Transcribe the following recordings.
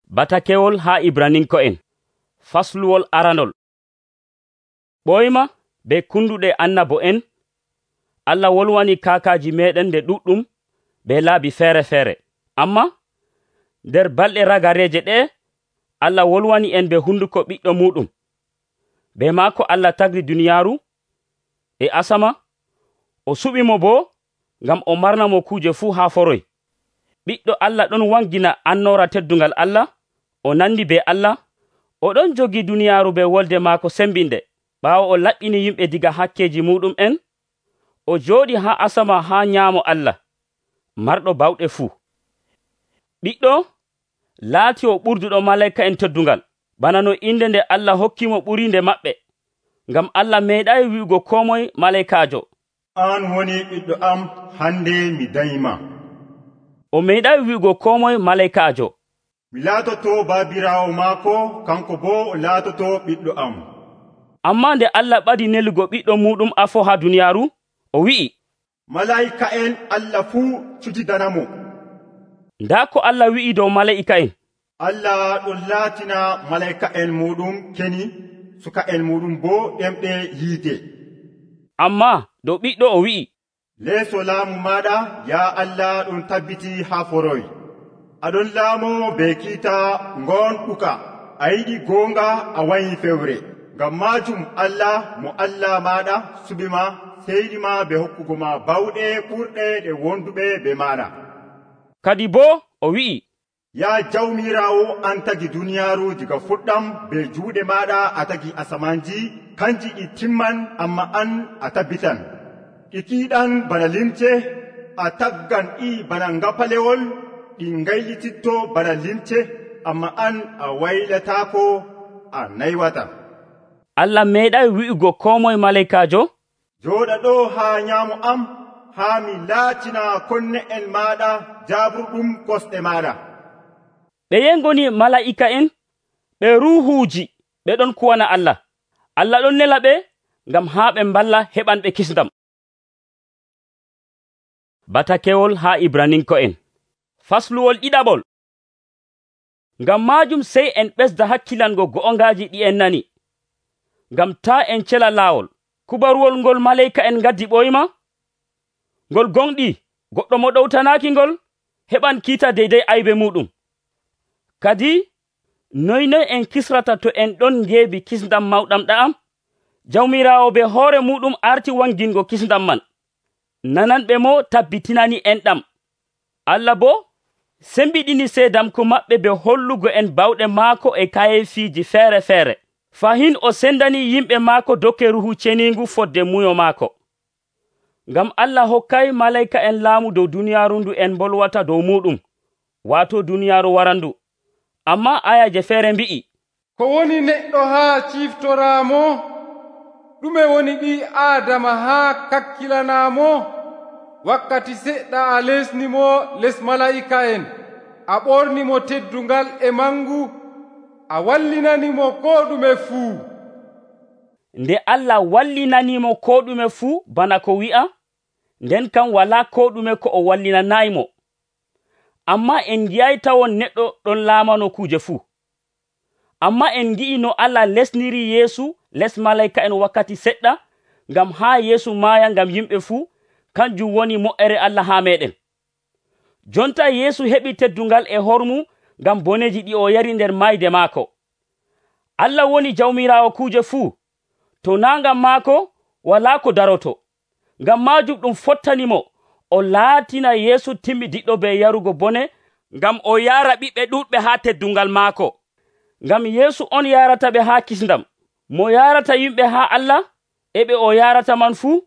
Batakewol haa Ibraninko'en fasluwol aranol. Ɓoyma be kunduɗe annabo'en Allah wolwani kaakaaji meɗen nde ɗuɗɗum be laabi feere-feere. Amma nder balɗe ragareeje ɗe Allah wolwani en be hunduko ɓiɗɗo muɗum. Be maako Allah tagri duniyaaru e asama, o suɓimo boo ngam o marnamo kuuje fuu haa foroy. Ɓiɗɗo Allah ɗon wangina annoora teddungal Allah, o nandi be Allah, o ɗon jogi duniyaaru be wolde maako sembinde. Ɓaawo o laɓɓini yimɓe diga hakkeeji muɗum en, o jooɗi haa asama haa nyaamo Allah, marɗo bawɗe fuu. Ɓiɗɗo laati o ɓurduɗo malaa'ika'en teddungal, bana no inde nde Allah hokkimo ɓuri nde maɓɓe, ngam Allah meeɗaayi wi'ugo koo moye malaa'ikaajo, "An woni ɓiɗɗo am, hande mi danyima." O meeɗaayi wi'ugo koo moye malaa'ikaajo, "Mi laatoto baabiraawo maako, kanko boo o laatoto ɓiɗɗo am." Ammaa nde Allah ɓadi nelugo ɓiɗɗo muɗum afo haa duniyaaru, o wi'i, "Malaa'ika'en Allah fuu cujidanamo." Ndaa ko Allah wi'i dow malaa'ika'en: Allah ɗon laatina malaa'ika'en muɗum keni, suka'en muɗum boo ɗemɗe yiide. Ammaa dow ɓiɗɗo o wi'i, "Leeso laamu maaɗa, yaa Allah, ɗon tabbiti haa foroy. Aɗon laamo be kiita ngoonɗuka. A yiɗi goonga, a wanyi fewre. Ngam maajum Allah, mo Allah maaɗa, suɓima, seyɗima be hokkugo ma bawɗe ɓurɗe ɗe wonduɓe be maaɗa." Kadi boo o wi'i, "Yaa Jawmiiraawo, an tagi duniyaaru diga fuɗɗam, be juuɗe maaɗa a tagi asamanji, kanji ɗi timman, amma an a tabbitan. Ɗi tiiɗan bana limce, a taggan ɗi bana ngapalewol, ɗi ngaylititto bana limce, amma an a waylataako, a naywata." Allah meeɗaayi wi'ugo koo moye malaa'ikaajo, "Jooɗa ɗo haa nyaamo am, haa mi laatina konne'en maaɗa jaaburɗum kosɗe maaɗa." Ɓeye ngoni malaa'ika'en? Ɓe ruuhuuji, ɓe ɗon kuwana Allah. Allah ɗon nela ɓe ngam haa ɓe mballa heɓanɓe kisndam. Batakewol haa Ibraninko'en fasluwol ɗiɗaɓol. Ngam maajum sey en ɓesda hakkilango go'ongaaji ɗi en nani, ngam taa en cela laawol. Kubaruwol ngol malaa'ika'en ngaddi ɓoyma, ngol gonɗi goɗɗo mo ɗowtanaaki ngol heɓan kiita deydey aybe muɗum. Kadi noy en kisrata to en ɗon ngeebi kisndam mawɗam ɗa'am? Jawmiiraawo be hoore muɗum arti wangingo kisndam man. Nananɓe mo tabbitinani en ɗam. Allah boo sembiɗini seedamku maɓɓe be hollugo en bawɗe maako e kayefiiji feere-feere. Fahin o sendani yimɓe maako dokke ruhu ceniingu fodde muyo maako. Ngam Allah hokkay malaa'ika'en laamu dow duniyaaru ndu en bolwata dow muɗum, waato duniyaaru warandu. Amma ayaje feere mbi'i, "Ko woni neɗɗo haa ciftoraamo? Ɗume woni ɓii Aadama haa kakkilanaamo? Wakkati seɗɗa a lesnimo les malaa'ika'en, a ɓornimo teddungal e mangu, a wallinanimo koo ɗume fuu." Nde Allah wallinanimo koo ɗume fuu bana ko wi'a, nden kam walaa koo ɗume ko o wallinanaymo. Amma en ngi'ay tawon neɗɗo ɗon laamano kuuje fuu. Amma en ngi'i no Allah lesniri Yeesu les malaa'ika'en wakkati seɗɗa, ngam haa Yeesu maaya ngam yimɓe fuu, kanjum woni mo'ere Allah haa meɗen. Jonta Yeesu heɓi teddungal e hormu ngam boneji ɗi o yari nder mayde maako. Allah woni Jawmiiraawo kuuje fuu. To naa ngam maako, walaa ko daroto. Ngam maajum ɗum fottanimo o laatina Yeesu timmidiɗɗo be yarugo bone, ngam o yaara ɓiɓɓe ɗuɗɓe haa teddungal maako. Ngam Yeesu on yarata ɓe haa kisndam. Mo yarata yimɓe haa Allah, e ɓe o yarata man fuu,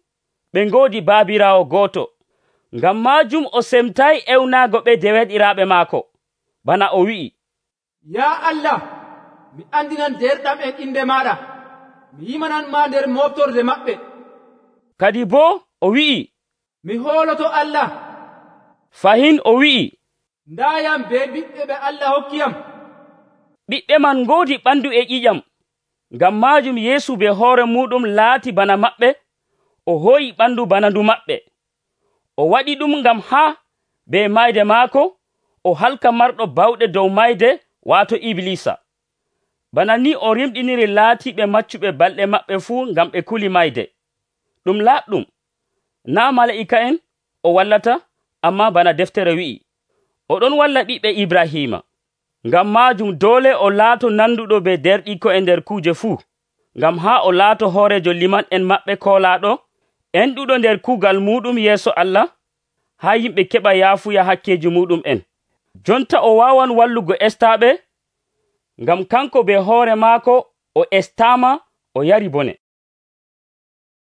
ɓe ngoodi baabiraawo gooto. Ngam maajum o semtayi ewnaago ɓe deweɗiraaɓe maako. Bana o wi'i, "Yaa Allah, mi andinan derɗam en inde maaɗa, mi yimanan ma nder moftorde maɓɓe." Kadi boo o wi'i, "Mi hooloto Allah." Fahin o wi'i, "Ndaayam be ɓiɓɓe ɓe Allah hokkiyam." Ɓiɓɓe man ngoodi ɓandu e ƴiƴam. Ngam maajum Yeesu be hoore muɗum laati bana maɓɓe, o hooyi ɓandu bana ndu maɓɓe. O waɗi ɗum ngam haa be mayde maako o halka marɗo bawɗe dow mayde waato Iblisa. Bana ni o rimɗiniri laatiɓe maccuɓe balɗe maɓɓe fuu ngam ɓe kuli mayde. Ɗum laaɗɗum, naa mala'ika'en o wallata, ammaa bana deftere wi'i, oɗon walla ɓiɓɓe Ibrahima. Ngam maajum doole o laato nanduɗo be derɗiko e nder kuuje fuu, ngam haa o laato hoorejo liman'en maɓɓe koolaaɗo, enɗuɗo nder kuugal muɗum yeeso Allah, haa yimɓe keɓa yaafuya hakkeji muɗum en. Jonta o waawan wallugo estaaɓe, ngam kanko be hoore maako o estaama o yari bone.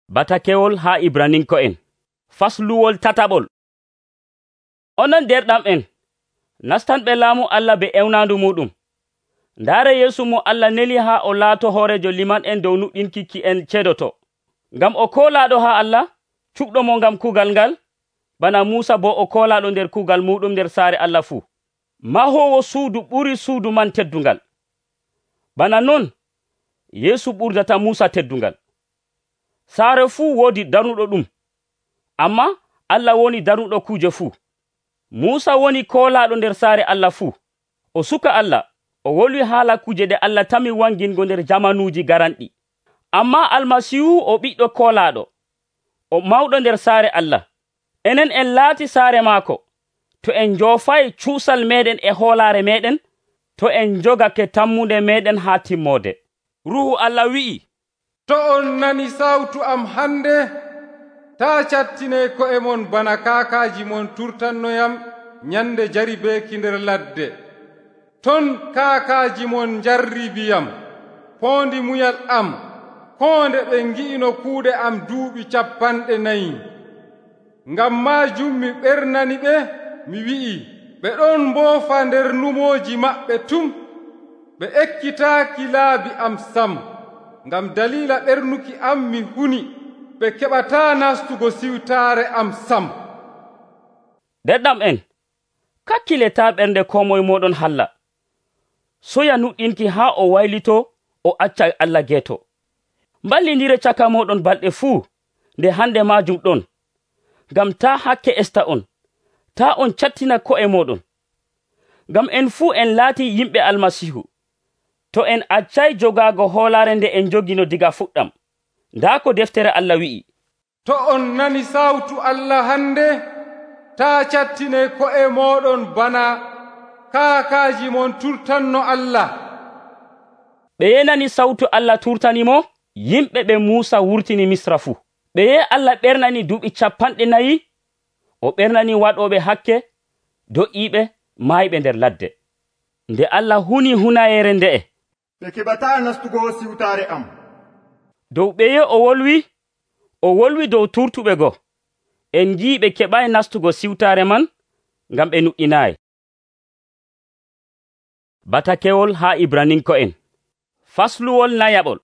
Batakewol haa Ibraninko'en. Fasluwol tataɓol. Onon derɗam'en, nastanɓe laamu Allah be ewnaandu muɗum. Ndaare Yeesu mo Allah neli haa o laato hoorejo liman'en dow nuɗɗinki ki en cedoto. Ngam o koolaaɗo haa Allah, cuɓɗo mo ngam kuugal ngal, bana Muusa bo o koolaaɗo nder kuugal muɗum nder saare Allah fuu. Mahoowo suudu ɓuri suudu man teddungal. Bana non, Yeesu ɓurdata Muusa teddungal. Saare fuu woodi darnuɗo ɗum, amma Allah woni darnuɗo kuuje fuu. Muusa woni koolaaɗo nder saare Allah fuu. O suka Allah, o wolwi haala kuje ɗe Allah tami wangingo nder jamanuuji garanɗi. Amma Almasiihu o ɓiɗɗo koolaaɗo, o mawɗo nder saare Allah. Enen en laati saare maako, to en njoofay cuusal meɗen e hoolaare meɗen, to en njogake tammunde meɗen haa timmoode. Ruuhu Allah wi'i, to on nani sawtu am hande, taa cattinee ko'e mon bana kaakaaji mon turtannoyam nyande jaribeeki nder ladde. Ton kaakaaji mon jarribiyam, poondi munyal am, koo nde ɓe ngi'ino kuuɗe am duuɓi 40. Ngam maajum mi ɓernani ɓe, mi wi'i, ɓe ɗon mboofa nder numooji maɓɓe tum, ɓe ekkitaaki laabi am sam. Ngam daliila ɓernuki am mi huni, ɓe keɓataa nastugo siwtaare am sam. Derɗam'en, kakkiletaa ɓernde koo moye mooɗon halla. Soya nuɗɗinki haa o waylito o acca Allah geeto. Mballindire caka mooɗon balɗe fuu nde hande maajum ɗon, ngam taa hakke esta on, taa on cattina ko'e mooɗon. Ngam en fuu en laati yimɓe Almasiihu, to en accay jogaago hoolaare nde en jogino diga fuɗɗam. Ndaa ko deftere Allah wi'i, to on nani sawtu Allah hande, taa cattinee ko'e mooɗon bana kaakaaji mon turtanno Allah. Ɓeye nani sawtu Allah turtanimo, yimɓe ɓe Muusa wurtini Misra fuu. Ɓeye Allah ɓernani duuɓi 40, o ɓernani waɗooɓe hakke, do'iiɓe, maayɓe nder ladde. Nde Allah huni hunayeere nde'e, ɓe keɓataa nastugo siwtaare am. Dow ɓeye o wolwi dow turtuɓe go. En njii ɓe keɓay nastugo siwtaare man, ngam ɓe nuɗɗinaayi. Batakewol haa Ibraninko'en. Fasluwol nayaɓol.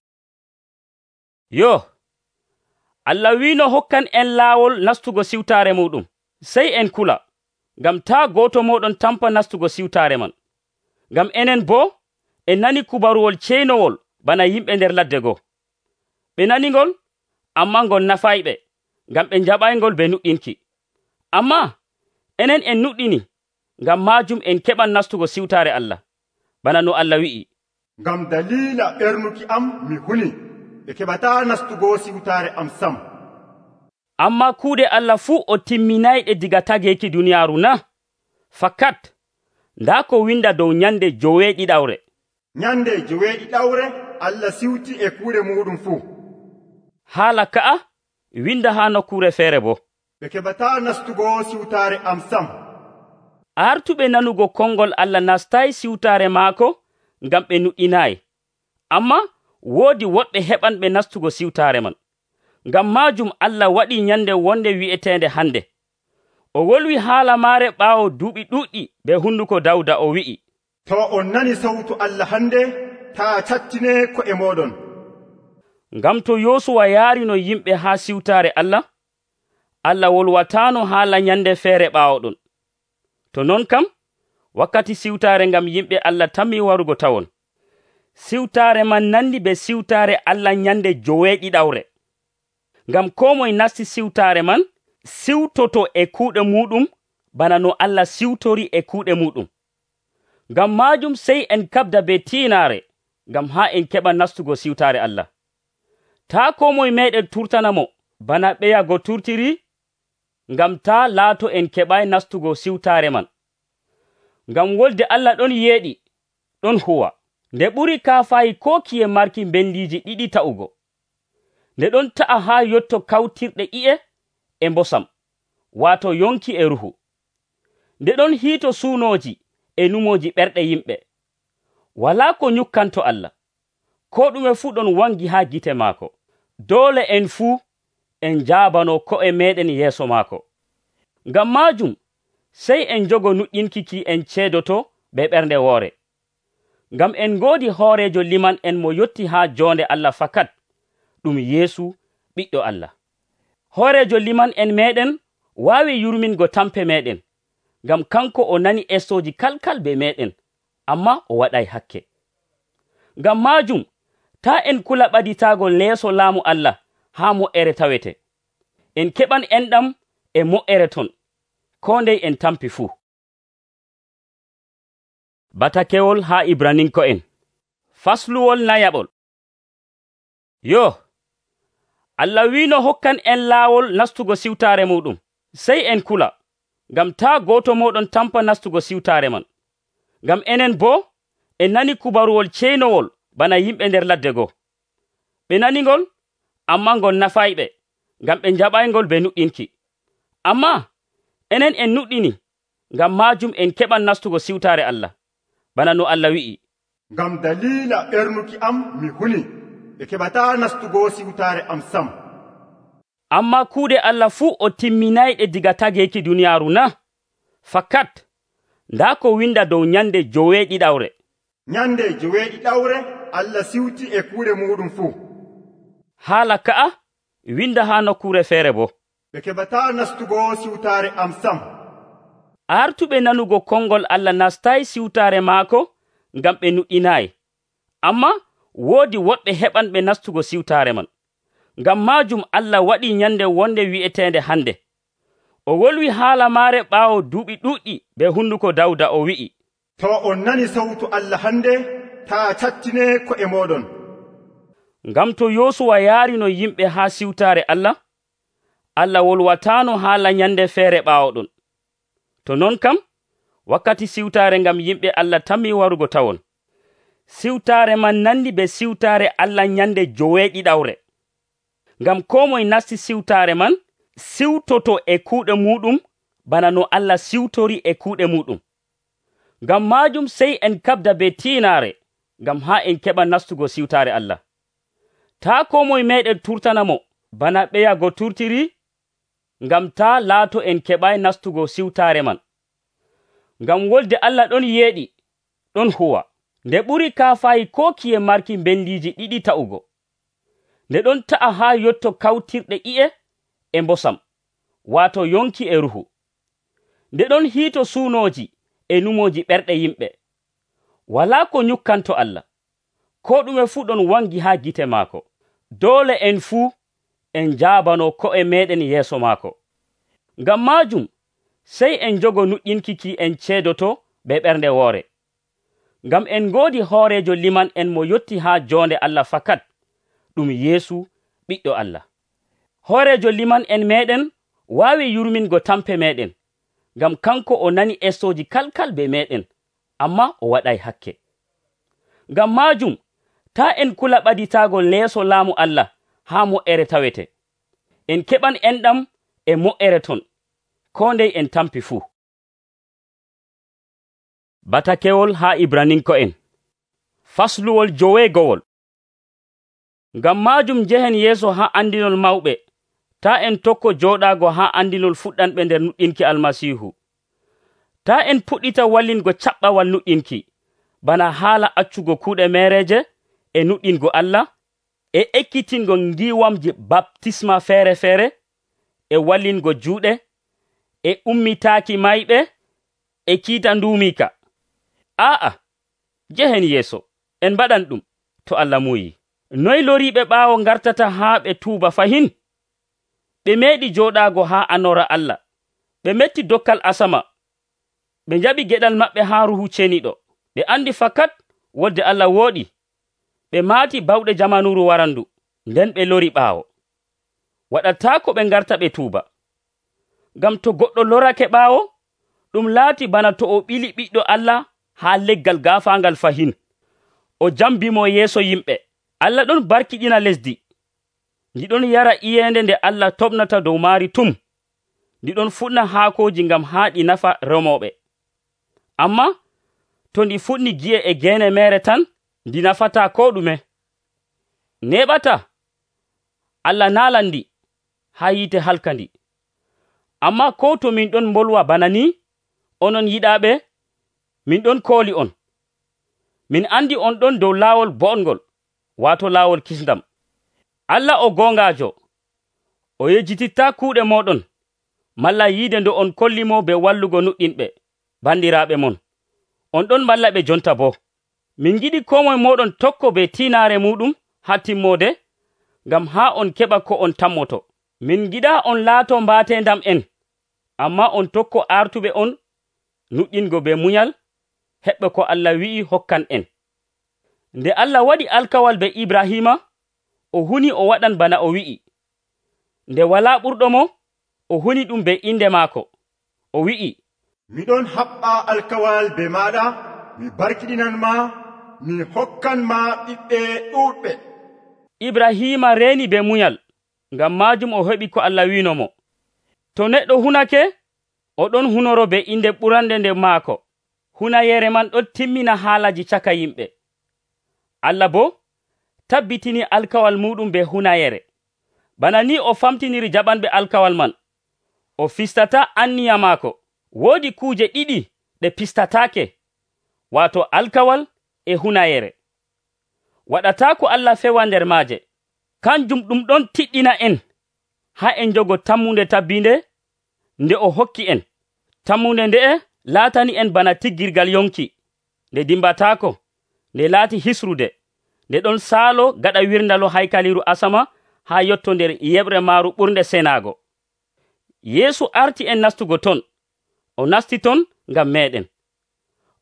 Yo, Allah wiino hokkan en laawol nastugo siwtaare muɗum, sey en kula, ngam taa gooto mooɗon tampa nastugo siwtaare man. Ngam enen boo, en nani kubaruwol ceynowol bana yimɓe nder ladde goo. Ɓe nani ngol, amma ngol nafayɓe, ngam ɓe njaɓaygol be nuɗɗinki. Amma enen en nuɗɗini, ngam maajum en keɓan nastugo siwtaare Allah, bana no Allah wi'i, ngam daliila ɓernuki am mi huni, ɓe keɓataa nastugo siwtaare am sam. Amma kuuɗe Allah fuu o timminayɗe diga tageeki duniyaaru na? Fakat, ndaa ko winda dow nyande 9 Nyande 9 Allah siwti e kuuɗe muɗum fuu. Haala ka'a winda haa nokkuure feere bo. Ɓe keɓataa nastugo siwtaare am sam. Artuɓe nanugo konngol Allah nastay siwtaare maako ngam ɓe nuɗɗinaayi. Amma woodi woɗɓe heɓanɓe nastugo siwtaare man. Ngam maajum Allah waɗi nyande wonde wi'eteende hande. O wolwi haala maare ɓaawo duuɓi ɗuuɗɗi be hunduko Dawda o wi'i, to on nani sawtu Allah hande, taa cattinee ko'e mooɗon. Ngam to Yoosuwa yaarino yimɓe haa siwtaare Allah, Allah wolwataano haala nyande feere ɓaawo ɗon. To non kam, wakkati siwtaare ngam yimɓe Allah tammi warugo tawon. Siwtaare man nandi be siwtaare Allah nyande 9. Ngam koo moye nasti siwtaare man, siwtoto e kuuɗe muɗum bana no Allah siwtori e kuuɗe muɗum. Ngam maajum sey en kabda be tiinaare ngam haa en keɓa nastugo siwtaare Allah. Taa koo moye meeɗen turtanamo bana ɓeyago turtiri, ngam taa laato en keɓay nastugo siwtaare man. Ngam wolde Allah ɗon yeeɗi, ɗon huwa, nde ɓuri kaafayi koo kiye marki mbendiiji ɗiɗi ta'ugo. Nde ɗon ta'a haa yotto kawtirɗe ƴi'e e mbosam, waato yonki e ruhu. Nde ɗon hiito suunooji e numooji ɓerɗe yimɓe. Walaa ko nyukkanto Allah, koo ɗume fuu ɗon wangi haa gite maako. Doole en fuu en jaabano ko'e meeɗen yeeso maako. Ngam maajum sey en jogo nuƴƴinki ki en ceedoto be ɓernde woore. Ngam en ngoodi hooreejo liman en mo yotti haa joonde Allah fakat, ɗum Yeesu ɓiɗɗo Allah. Hooreejo liman en meeɗen waawi yurmingo tampe meeɗen, ngam kanko o nani essooji kalkal be meeɗen, amma o waɗay hakke. Ngam maajum taa en kula ɓaditaago leeso laamu Allah haa mo'ere tawete. En keɓan enɗam e mo'ere ton, koo ndey en tampi fuu. Batakewol haa Ibraninko'en. Fasluwol nayaɓol. Yo, Allah wiino hokkan en laawol nastugo siwtaare muɗum. Sey en kula, ngam taa gooto mooɗon tampa nastugo siwtaare man. Ngam enen boo en nani kubaruwol ceynowol bana yimɓe nder ladde goo. Ɓe naningol, amma ngol nafayɓe, ngam ɓe njaɓaygol be nuɗɗinki. Amma enen en nuɗɗini, ngam maajum en keɓan nastugo siwtaare Allah, bana no Allah wi'i. Ngam dalila ɓernuki am mi huni, ɓe keɓataa nastugo siwtaare am sam. Amma kuuɗe Allah fuu o timminayɗe diga tageeki duniyaaru na? Fakat, ndaa ko winda dow nyande joweeɗiɗawre. Nyande joweeɗiɗawre Allah siwti e kuuɗe muɗum fuu. Haala ka'a winda haa nokkuure feere bo. Ɓe keɓataa nastugo siwtaare am sam. Artuɓe nanugo konngol Allah nastay siwtaare maako ngam ɓe nuɗɗinaayi. Amma woodi woɗɓe heɓanɓe nastugo siwtaare man. Ngam maajum Allah waɗi nyande wonde wi'eteende hande. O wolwi haala maare ɓaawo duuɓi ɗuuɗɗi be hunduko Dawda o wi'i. To on nani sawtu Allah hande, taa cattine ko'e mooɗon. Ngam to Yoosuwa yaarino yimɓe haa siwtaare Allah, Allah wolwataano haala nyande feere ɓaawo ɗon. To non kam, wakkati siwtaare ngam yimɓe Allah tammi warugo tawon. Siwtaare man nandi be siwtaare Allah nyande joweeɗiɗawre. Ngam koo moye nasti siwtaare man, siwtoto e kuuɗe muɗum bana no Allah siwtori e kuuɗe muɗum. Ngam maajum sey en kabda be tiinaare, ngam haa en keɓa nastugo siwtaare Allah. Taa koo moye meeɗen turtanamo bana ɓeyago turtiri, ngam taa laato en keɓay nastugo siwtaare man. Ngam wolde Allah ɗon yeeɗi, ɗon huwa, nde ɓuri kaafayi koo kiye marki mbendiiji ɗiɗi ta'ugo. Nde ɗon ta'a haa yotto kawtirɗe ƴi'e e mbosam, waato yonki e ruhu. Nde ɗon hiito suunooji e numooji ɓerɗe yimɓe. Walaa ko nyukkanto Allah, koo ɗume fuu ɗon wangi haa gite maako. Doole en fuu en jaabano ko'e meeɗen yeeso maako. Ngam maajum sey en jogo nuƴƴinki ki en ceedoto be ɓernde woore. Ngam en ngoodi hooreejo liman en mo yotti haa joonde Allah fakat, ɗum Yeesu ɓiɗɗo Allah. Hooreejo liman en meeɗen waawi yurmingo tampe meeɗen, ngam kanko o nani essooji kalkal be meeɗen, amma o waɗay hakke. Ngam maajum taa en kula ɓaditaago leeso laamu Allah haa mo'ere tawete. En keɓan enɗam e mo'ere ton, koo ndey en tampi fuu. Batakewol haa Ibraninko'en. Fasluwol joweegowol. Ngam maajum njehen yeeso haa andinol mawɓe, taa en tokko jooɗaago haa andinol fuɗɗanɓe nder nuɗɗinki Almasiihu. Taa en puɗɗita wallingo caɓɓawal nuɗɗinki, bana haala accugo kuuɗe meereeje e nuɗɗingo Allah, e ekkitingo ngiiwamji baptisma feere-feere, e wallingo juuɗe, e ummitaaki mayɓe, e kiita nduumiika. Aa'a, njehen yeeso, en mbaɗan ɗum, to Allah muuyi. Noy loriiɓe ɓaawo ngartata haa ɓe tuuba fahin? Ɓe meeɗi jooɗaago haa anora Allah, ɓe metti dokkal asama, ɓe njaɓi geɗal maɓɓe haa ruhu ceniɗo. ɓe andi fakat wolde Allah wooɗi. Ɓe maati bawɗe jamanuru warandu, nden ɓe lori ɓaawo. Waɗataako ɓe ngarta ɓe tuuba. Ngam to goɗɗo lorake ɓaawo, ɗum laati bana to o ɓili ɓiɗɗo Allah haa leggal gaafaangal fahin, o jambimo yeeso yimɓe. Allah ɗon barkiɗina lesdi, ndi ɗon yara iyeende nde Allah toɓnata dow maari tum, ndi ɗon fuɗna haakooji ngam haa ɗi nafa remooɓe. Amma to ndi fuɗni gi'e e geene meere tan, ndi nafataa ko ɗume. Neɓata Allah naalan ndi haa yiite halkandi. Amma ko to min ɗon mbolwa bana ni, onon yiɗaaɓe, min ɗon kooli on. Min andi on ɗon dow laawol boɗngol, waato laawol kisndam. Allah o goongaajo, o yejjitittaa kuuɗe mooɗon, malla yiide ndo on kollimo be wallugo nuɗɗinɓe, bandiraaɓe mon. On ɗon malla ɓe jonta boo. Min giɗi koo moye mooɗon tokko be tiinaare muɗum haa timmoode, ngam haa on keɓa ko on tammoto. Min giɗaa on laato mbaatendam en, amma on tokko artuɓe on nuɗɗingo be munyal, heɓɓe ko Allah wi'i hokkan en. Nde Allah waɗi alkawal be Ibrahima, o huni o waɗan bana o wi'i. Nde walaa ɓurɗo mo, o huni ɗum be inde maako. O wi'i, miɗon haɓɓa alkawal be maɗa, mi barkiɗinan ma, mi hokkan ma ɓiɓɓe ɗuuɗɓe. Ibrahima reeni be munyal, ngam maajum o heɓi ko Allah wiino mo. To neɗɗo hunake, o ɗon hunoro be inde ɓurande nde maako. Hunayere man ɗon timmina haalaji caka yimɓe. Allah bo tabbitini alkawal muɗum be hunayere. Bana ni o famtiniri jaɓanɓe alkawal man. O fistata anniya maako. Woodi kuuje ɗiɗi ɗe pistataake, waato alkawal e hunayere. Waɗataako Allah fewa nder maaje. Kanjum ɗum ɗon tiɗɗina en haa en jogo tammunde tabbinde nde o hokki en. Tammunde nde'e laatani en bana tiggirgal yonki, nde dimbataako, nde laati hisrude, nde ɗon saalo gaɗa wirndalo haykaliru asama haa yotto nder yeɓre maaru ɓurnde senaago. Yeesu arti en nastugo ton. O nasti ton ngam meɗen.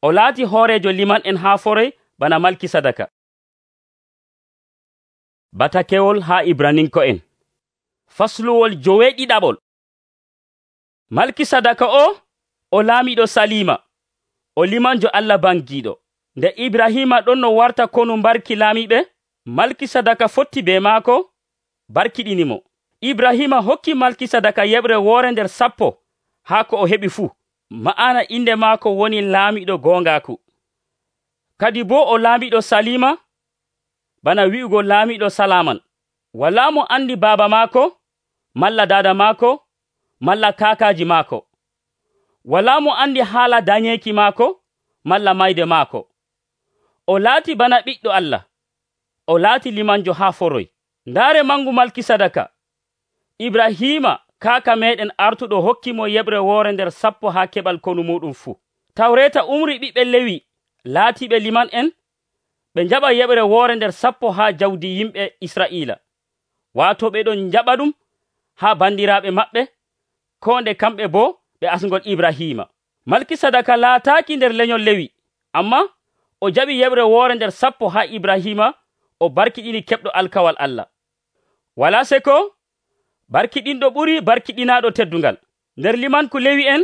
O laati hoorejo liman en haa forey bana Malkisadaka. Batakewol haa Ibraninko'en. Fasluwol 9. Malkisadaka o laamiɗo Salima, o limanjo Allah bangiiɗo. Nde Ibrahima ɗon no warta konu barki laamiɓe, Malkisadaka fotti be maako, barkiɗinimo. Ibrahima hokki Malkisadaka yeɓre woore nder 10 haa ko o heɓi fuu. Ma'ana inde maako woni laamiɗo goongaaku. Kadi boo o laamiɗo Salima, bana wi'ugo laamiɗo Salaman. Walaa mo andi baaba maako, malla daada maako, malla kaakaaji maako. Walaa mo andi haala dañeeki maako, malla mayde maako. O laati bana ɓiɗɗo Allah. O laati limanjo haa foroy. Ndaare mangu Malkisadaka, Ibrahima kaaka meɗen artuɗo hokkimo yeɓre woore nder 10 haa keɓal konu muɗum fuu. Tawreta umri ɓiɓɓe Lewi laatiɓe liman en, ɓe njaɓa yeɓre woore nder 10 haa jawdi yimɓe Isra'iila. Waato ɓe ɗon njaɓa ɗum haa bandiraaɓe maɓɓe, ko nde kamɓe boo ɓe asngol Ibrahima. Malkisadaka laataaki nder lenyol Lewi, amma o jaɓi yeɓre woore nder 10 haa Ibrahima, o barkiɗini keɓɗo alkawal Allah. Walaa seko, barkiɗinɗo ɓuri barkiɗinaaɗo teddungal. Nder limanku Lewi en,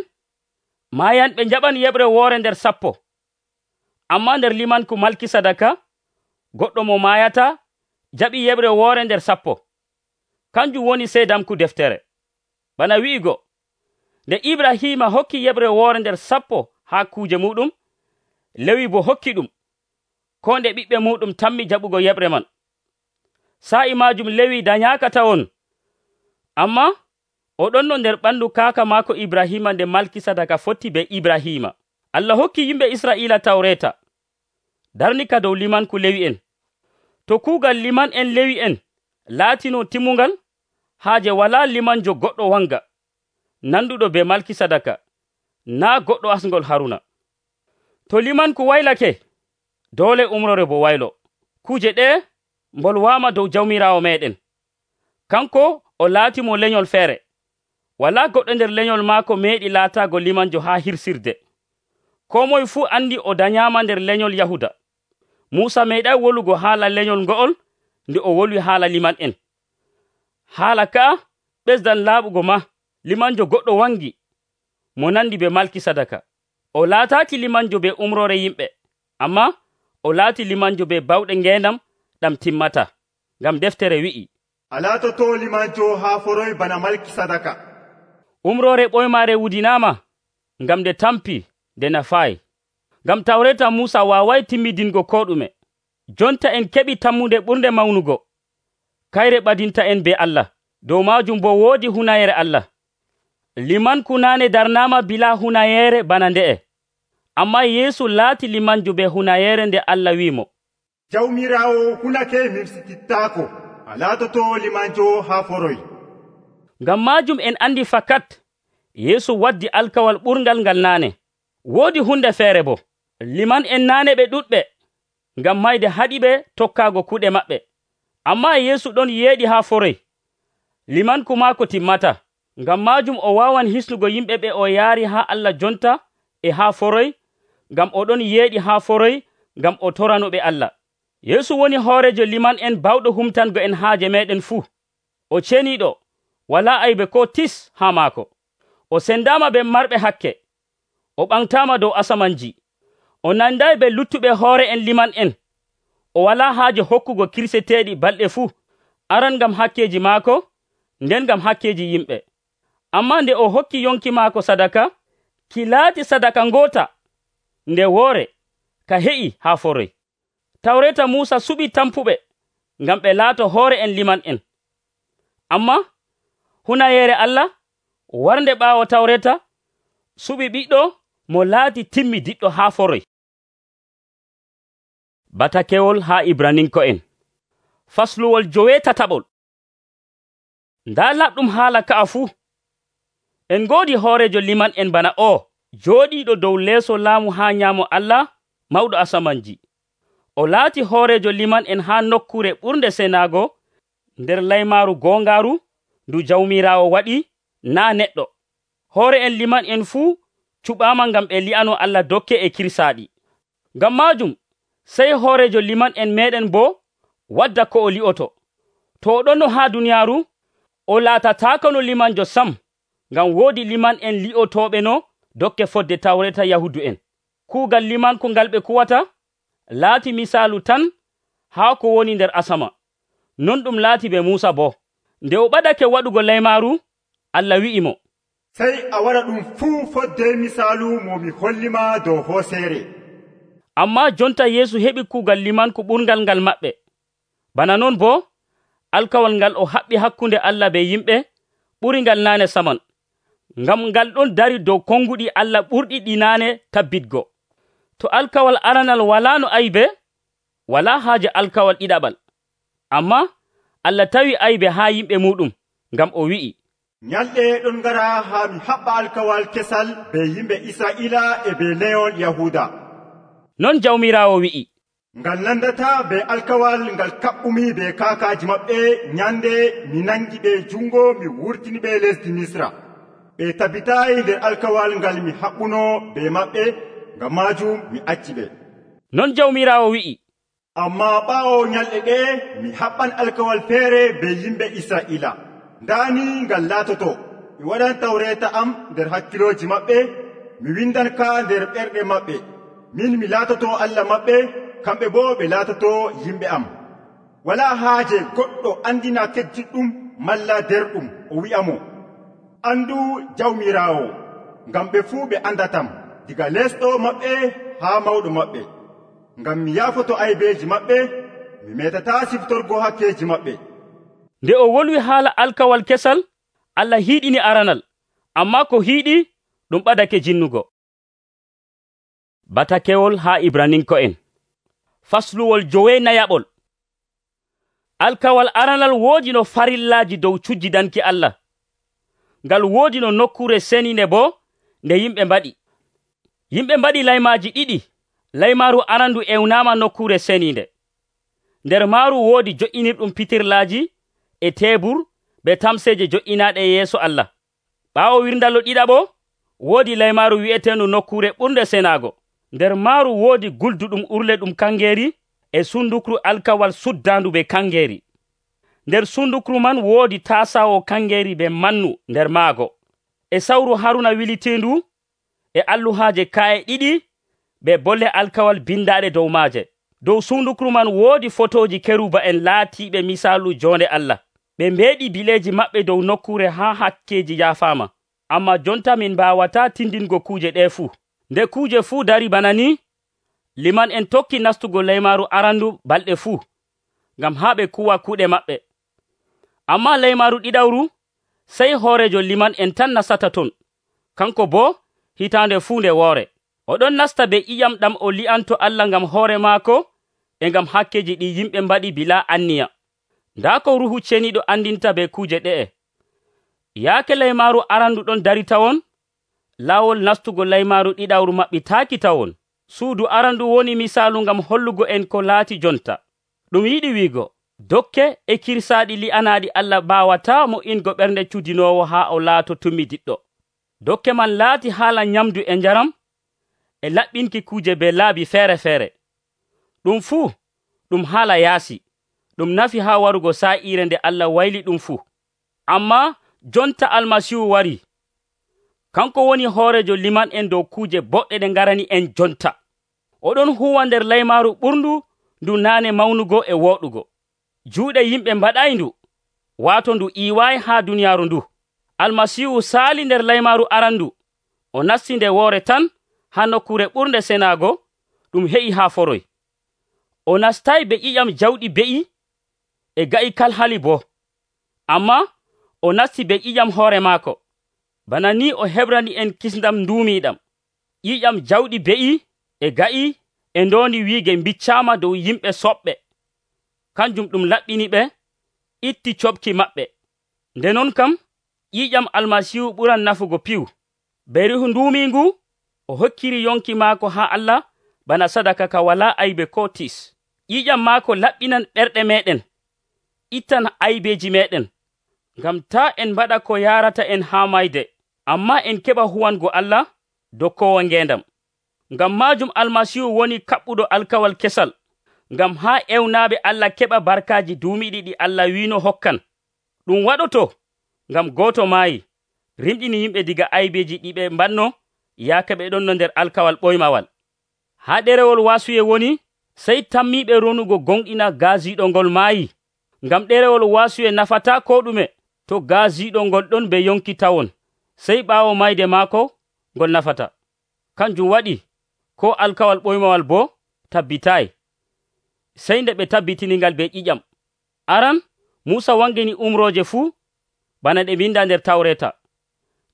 maayanɓe njaɓan yeɓre woore nder 10. Amma nder limanku Malkisadaka, goɗɗo mo maayata jaɓi yeɓre woore nder 10. Kanjum woni seedamku deftere. Bana wi'igo, nde Ibrahima hokki yeɓre woore nder 10 haa kuuje muɗum, Lewi bo hokki ɗum, ko nde ɓiɓɓe muɗum tammi jaɓugo yeɓre man. Sa'i majum Lewi dañaaka tawon, amma o ɗon no nder ɓandu kaaka maako Ibrahima nde Malkisadaka fotti be Ibrahima. Allah hokki yimɓe Isra'iila Tawreta, darnika dow limanku Lewi en. To kuugal liman en Lewi en laatino timmungal, haaje walaa limanjo goɗɗo wanga, nanduɗo be Malkisadaka, naa goɗɗo asngol Haruna. To limanku waylake, doole umrore bo waylo. Kuje ɗe mbolwaama dow jawmiraawo meɗen. Kanko o laatimo lenyol feere. Walaa goɗɗo nder lenyol maako meeɗi laataago limanjo haa hirsirde. Koo moye fuu andi o danyama nder lenyol Yahuda. Muusa meeɗay wolugo haala lenyol ngo'ol nde o wolwi haala liman'en. Haala ka'a ɓesdan laaɓugo ma limanjo goɗɗo wangi mo nandi be Malkisadaka. O laataaki limanjo be umrore yimɓe, amma o laati limanjo be bawɗe ngendam ɗam timmata. Ngam deftere wi'i, a laatoto limanjo haa foroy bana Malkisadaka. Umrore ɓoymaare wudinaama ngam nde tampi nde nafaayi. Ngam tawreta Muusa waaway timmidingo ko ɗume. Jonta en keɓi tammunde ɓurnde mawnugo, kayre ɓadinta en be Allah. Dow maajum bo woodi hunayere Allah. Limanku naane darnaama bila hunayere bana nde'e. Amma Yeesu laati limanjo be hunayere nde Allah wi'imo, jawmirawo hunake mirsitittaako, a laatoto limanjo haa foroy. Ngam maajum en andi fakat Yeesu waddi alkawal ɓurgal ngal naane. Woodi hunde feere bo, liman en naane ɓe ɗuɗɓe ngam mayde haɗiɓe tokkaago kuɗe maɓɓe. Amma Yeesu ɗon yeeɗi haa foroy. Limanku maako timmata. Ngam maajum o waawan hisnugo yimɓe ɓe o yaari haa Allah jonta e haa foroy, ngam o ɗon yeeɗi haa foroy ngam o toranoɓe Allah. Yeesu woni hoorejo liman en bawɗo humtango en haaje meɗen fuu. O ceniiɗo, walaa aybe ko tis haa maako. O sendaama be marɓe hakke. O ɓamtaama dow asamanji. O nanday be luttuɓe hoore en liman en. O walaa haaje hokkugo kirseteeɗi balɗe fuu, aran ngam hakkeji maako, nden ngam hakkeji yimɓe. Amma nde o hokki yonki maako sadaka, ki laati sadaka ngoota, nde woore ka heƴi haa foroy. Tawreta Muusa suɓi tampuɓe ngam ɓe laato hoore en liman en. Amma hunayere Allah warnde ɓaawo tawreta suɓi ɓiɗɗo mo laati timmidiɗɗo haa foroy. Batakewol haa Ibraninko'en fasluwol 9. Ndaa laɓɗum haala ka'a fuu. En ngoodi hoorejo liman en bana o jooɗiiɗo dow leeso laamu haa nyaamo Allah mawɗo asamanji. O laati hoorejo liman en haa nokkure ɓurnde senaago nder laymaaru goongaaru ndu jawmiraawo waɗi, naa neɗɗo. Hoore en liman en fuu cuɓaama ngam ɓe li'ano Allah dokke e kirsaaɗi. Ngam maajum sey hoorejo liman en meɗen bo wadda ko o li'oto. To o ɗonno haa duniyaaru, o laatataako no limanjo sam, ngam woodi liman en li'otooɓe no dokke fodde tawreta Yahudu en. Kuugal limanku ngal ɓe kuwata laati misaalu tan haa ko woni nder asama. Non ɗum laati be Muusa bo. Nde o ɓadake waɗugo laymaaru, Allah wi'imo, sey a waɗa ɗum fuu fodde misaalu mo mi hollima dow hooseere. Amma jonta Yeesu heɓi kuugal limanku ɓurngal ngal maɓɓe. Bana non bo, alkawal ngal o haɓɓi hakkunde Allah be yimɓe ɓuri ngal naane saman, ngam ngal ɗon dari dow konguɗi Allah ɓurɗi ɗi naane tabbitgo. To alkawal aranal walaa no aybe, walaa haaje alkawal ɗiɗaɓal. Amma Allah tawi aybe haa yimɓe muɗum, ngam o wi'i, nyalɗe ɗon ngara haa mi haɓɓa alkawal kesal be yimɓe Israa'ila e be leyol Yahuda. Non jawmiraawo wi'i, ngal nandata be alkawal ngal kaɓɓumi be kaakaaji maɓɓe nyande mi nangi ɓe jungo mi wurtini ɓe lesdi Misra. Ɓe tabbitayi nder alkawal ngal mi haɓɓuno be maɓɓe, ngam maajum mi acci ɓe. Non jawmiraawo wi'i, amma ɓaawo nyalɗe ɗe mi haɓɓan alkawal feere be yimɓe Israa'ila. Ndaani ngal laatoto mi waɗan tawreta am nder hakkiloji maɓɓe, mi windan ka nder ɓerɗe maɓɓe. Min mi laatoto Allah maɓɓe, kamɓe bo ɓe laatoto yimɓe am. Walaa haaje goɗɗo andina keddiɗɗum malla derɗum o wi'amo, andu jawmiraawo, ngam ɓe fuu ɓe andatam, diga lesɗo maɓɓe haa mawɗo maɓɓe. Ngam mi yaafoto aybeeji maɓɓe, mi metata siftorgo hakkeji maɓɓe. Nde o wolwi haala alkawal kesal, Allah hiiɗini aranal, amma ko hiiɗi ɗum ɓadake jinnugo. Batakewol haa Ibraninko'en fasluwol 9. Alkawal aranal woodi no farillaaji dow cujjidanki Allah. Ngal woodi no nokkure seninde bo nde yimɓe mbaɗi. Yimɓe mbaɗi laymaaji ɗiɗi. Laymaaru arandu ewnaama nokkure seninde. Nder maaru woodi jo'inirɗum pitirlaaji e teebur be tamseeje jo'inaaɗe yeeso Allah. Ɓaawo wirndalo ɗiɗaɓo woodi laymaaru wi'eteendu Nokkuure Ɓurnde Senaago. Nder maaru woodi gulduɗum urle ɗum kangeeri e sundukru alkawal suddaandu be kangeeri. Nder sundukru man woodi taasaawo kangeeri be mannu nder maago, e sawru Haruna wiliteendu, e alluhaaje ka'e ɗiɗi be bolle alkawal bindaaɗe dow maaje. Dow sundukru man woodi fotooji keruba en laatiiɓe misaalu jonde Allah. Ɓe mbeeɗi bileeji maɓɓe dow nokkuure haa hakkeeji yaafaama. Amma jonta min mbaawataa tindingo kuuje ɗee fuu. Nde kuuje fuu dari bana ni, liman en tokki nastugo laymaaru arandu balɗe fuu, ngam haa ɓe kuwa kuuɗe maɓɓe. Amma laymaaru ɗiɗawru, sey hoorejo liman en tan nastata ton, kanko boo hitaande fuu nde woore. Oɗon nasta be ƴiƴam ɗam o li'anto Allah ngam hoore maako e ngam hakkeji ɗi yimɓe mbaɗi bila anniya. Ndaa ko Ruuhu Ceniiɗo andinta be kuuje ɗe'e. Yaake laymaaru arandu ɗon dari tawon, laawol nastugo laymaaru ɗiɗawru maɓɓitaaki tawon. Suudu arandu woni misaalu ngam hollugo en ko laati jonta. Ɗum yiɗi wiigo, dokke e kirsaaɗi li'anaaɗi Allah baawataa mo ingo ɓernde cudinoowo haa o laato tummidiɗɗo. Dokke man laati haala nyamdu e njaram, e laɓɓinki kuuje be laabi feere-feere. Ɗum fuu ɗum haala yaasi, ɗum nafi haa warugo saa'iire nde Allah wayli ɗum fuu. Ammaa jonta Almasiihu wari, kanko woni hoorejo liman en dow kuuje boɗɗe ɗe ngarani en jonta. Oɗon huwa nder laymaaru ɓurndu ndu naane mawnugo e wooɗugo. Juuɗe yimɓe mbaɗay ndu, waato ndu iiwaayi haa duniyaaru ndu. Almasiihu saali nder laymaaru arandu, o nasti nde woore tan haa Nokkuure Ɓurnde Senaago, ɗum heƴi haa foroy. O nastay be ƴiƴam jawɗi be'i e ga'i kalhali boo, ammaa o nasti be ƴiƴam hoore maako. Bana ni o hebrani en kisndam nduumiiɗam. Ƴiƴam jawɗi be'i e ga'i e ndoondi wiige mbiccaama dow yimɓe soɓɓe. Kanjum ɗum laɓɓini ɓe, itti coɓki maɓɓe. Nde non kam, ƴiƴam Almasiihu ɓuran nafugo piw. Be Ruuhu nduumiingu, o hokkiri yonki maako haa Allah bana sadaka ka walaa aybe koo tiis. Ƴiƴam maako laɓɓinan ɓerɗe meeɗen, ittan aybeeji meeɗen, ngam taa en mbaɗa ko yaarata en haa mayde, ammaa en keɓa huwango Allah dokkoowo ngeendam. Ngam maajum Almasiihu woni kaɓɓuɗo alkawal kesal, ngam haa ewnaaɓe Allah keɓa barkaaji duumiiɗi ɗi Allah wiino hokkan. Ɗum waɗoto ngam gooto maayi, rimɗini yimɓe diga aybeeji ɗi ɓe mbanno yaake ɓe ɗonno nder alkawal ɓoymawal. Haa ɗerewol waasuye woni, sey tammiiɓe ronugo gonɗina gaasiiɗo ngol maayi, ngam ɗerewol waasuye nafataa ko ɗume to gaasiiɗo ngol ɗon be yonki tawon, sey ɓaawo mayde maako ngol nafata. Kanjum waɗi ko alkawal ɓoymawal boo tabbitaay, sey nde ɓe tabbitiningal be ƴiƴam. Aran Muusa wangini umrooje fuu bana ɗe binda nder Tawreeta.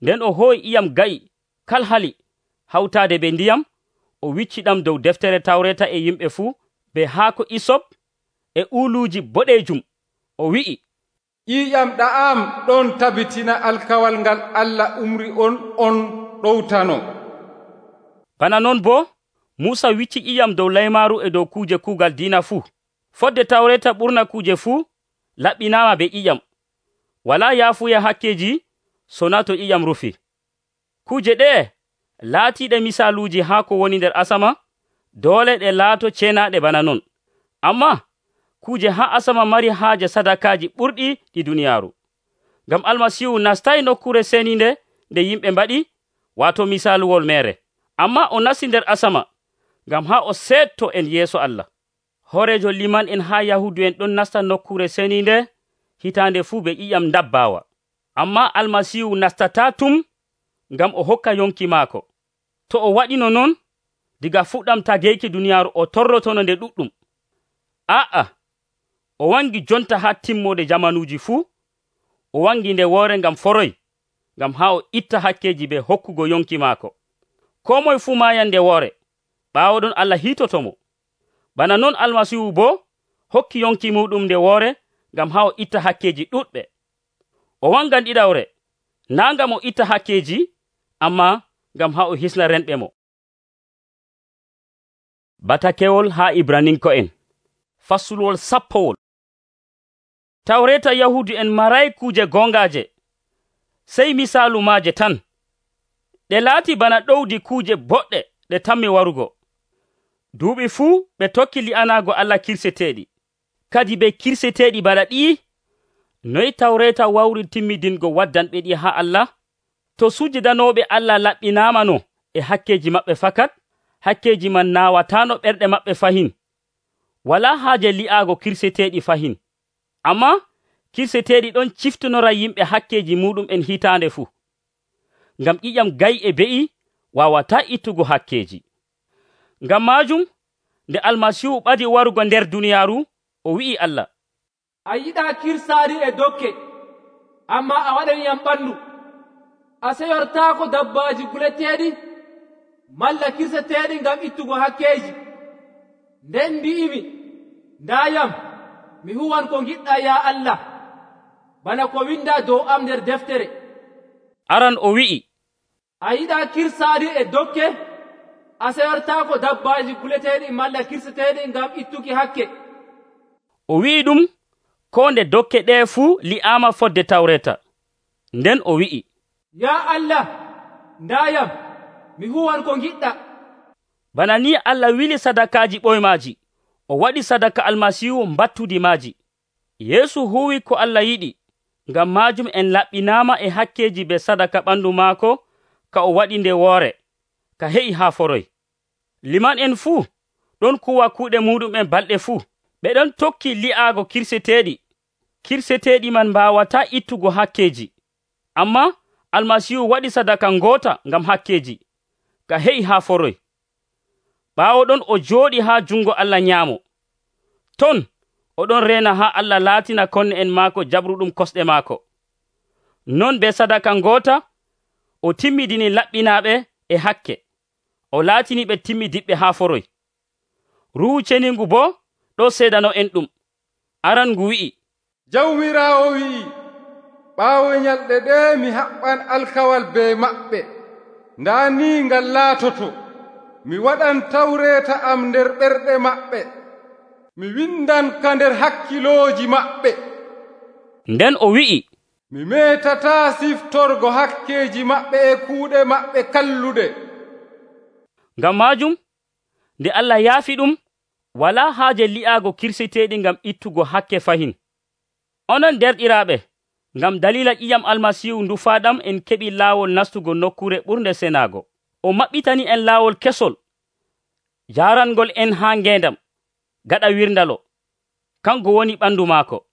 Nden o hooyi ƴiƴam ga'i kalhali hawtaade be ndiyam, o wicci ɗam dow deftere Tawreeta e yimɓe fuu be haako isop e uuluuji boɗeejum. O wi'i, ƴiƴam ɗa'am ɗon tabitina alkawal ngal Allah umri on ɗowtano. Bana non boo Muusa wicci ƴiƴam dow laymaaru e dow kuuje kuugal diina fuu. Fodde Tawreeta ɓurna kuuje fuu laɓɓinaama be ƴiƴam. Walaa yaafuya hakkeji sona to ƴiƴam rufi. Kuuje ɗee laatiiɗe misaaluuji haa ko woni nder asama, doole ɗe laato ceenaaɗe bana non. Ammaa kuuje haa asama mari haaje sadakaaji ɓurɗi ɗi duniyaaru. Ngam Almasiihu nastay nokkuure seniinde nde yimɓe mbaɗi, waato misaaluwol meere. Ammaa o nasti nder asama ngam haa o seetto en yeeso Allah. Hoorejo liman en haa Yahudu en ɗon nasta nokkuure seniinde hitaande fuu be ƴiƴam ndabbaawa. Ammaa Almasiihu nastataa tum ngam o hokka yonki maako. To o waɗino non, diga fuɗɗam tageyki duniyaaru o torrotono nde ɗuɗɗum. O wangi jonta haa timmode jamanuuji fuu. O wangi nde woore ngam foroy, ngam haa o itta hakkeji be hokkugo yonki maako. Koo moye fuu maayan nde woore, ɓaawo ɗon Allah hiitotomo. Bana non Almasiihu boo hokki yonki muɗum nde woore ngam haa o itta hakkeji ɗuɗɓe. O wangan ɗiɗawre, naa ngam o itta hakkeji, ammaa ngam haa o hisna renɓe mo. Batakewol haa Ibraninko'en fasulwol sappowol. Tawreeta Yahudu en maray kuuje gongaaje, sey misaalu maaje tan. ɗe laati bana ɗowdi kuuje boɗɗe ɗe tammi warugo. Duuɓi fuu ɓe tokki li'anaago Allah kirseteeɗi, kadi ɓe kirseteeɗi bana ɗi. Noy Tawreeta wawri timmidingo waddanɓe ɗi haa Allah? To sujudanooɓe Allah laɓɓinaamano e hakkeeji maɓɓe fakat, hakkeeji man naawataano ɓerɗe maɓɓe fahin. Walaa haaje li'aago kirseteeɗi fahin. Ammaa kirseteeɗi ɗon ciftonora yimɓe hakkeeji muɗum'en hitaande fuu. Ngam ƴiƴam gay'e be'i waawataa ittugo hakkeeji. Ngam maajum, nde Almasiihu ɓadi warugo nder duniyaaru, o wi'i Allah, a yiɗaa kirsaari e dokke, ammaa a waɗaniyam ɓandu. A seyortaako dabbaaji guleteeɗi malla kirseteeɗi ngam ittugo hakkeeji. Nden mbi'imi, ndaayam, mi huwan ko ngiɗɗaa yaa Allah, bana ko windaa dow am nder deftere. Aran o wi'i, a yiɗaa kirsaari e dokke, a seyortaako dabbaaji guleteeɗi malla kirseteeɗi ngam ittuki hakke. O wi'i ɗum ko nde dokke ɗee fuu li'aama fodde Tawreeta. Nden o wi'i, yaa Allah, ndaayam, mi huwan ko ngiɗɗa. Bana ni Allah wili sadakaaji ɓoymaaji, o waɗi sadaka Almasiihu mbattudi maaji. Yeesu huwi ko Allah yiɗi, ngam maajum en laɓɓinaama e hakkeeji be sadaka ɓandu maako ka o waɗi nde woore, ka he'i haa foroy. Liman en fuu ɗon kuwa kuuɗe muɗum'en balɗe fuu. Ɓe ɗon tokki li'aago kirseteeɗi. Kirseteeɗi man mbaawataa ittugo hakkeeji. Ammaa Almasiihu waɗi sadaka ngoota ngam hakkeeji, ka he'i haa foroy. Ɓaawo ɗon o jooɗi haa jungo Allah nyaamo. Ton o ɗon reena haa Allah laatina konne en maako jabruɗum kosɗe maako. Non be sadaka ngoota o timmidini laɓɓinaaɓe e hakke. O laatini ɓe timmidiɓɓe haa foroy. Ruuhu Ceniingu boo ɗo seedano en ɗum. Aran ngu wi'i, Jawmiraawo wi'i, ɓaawo nyalɗe ɗe mi haɓɓan alkawal be maɓɓe. Ndaa ni ngal laatoto. Mi waɗan Tawreeta am nder ɓerɗe maɓɓe. Mi windan ka nder hakkilooji maɓɓe. Nden o wi'i, mi meetataa siftorgo hakkeeji maɓɓe e kuuɗe maɓɓe kalluɗe. Ngam maajum, nde Allah yaafi ɗum, walaa haaje li'aago kirseteeɗi ngam ittugo hakke fahin. Onon derɗiraaɓe, ngam dalila ƴiƴam Almasiihu ndufaaɗam en keɓi laawol nastugo nokkure ɓurnde senaago. O maɓɓitani en laawol kesol, jaarangol en haa ngeendam, gaɗa wirndalo. Kanko woni ɓandu maako.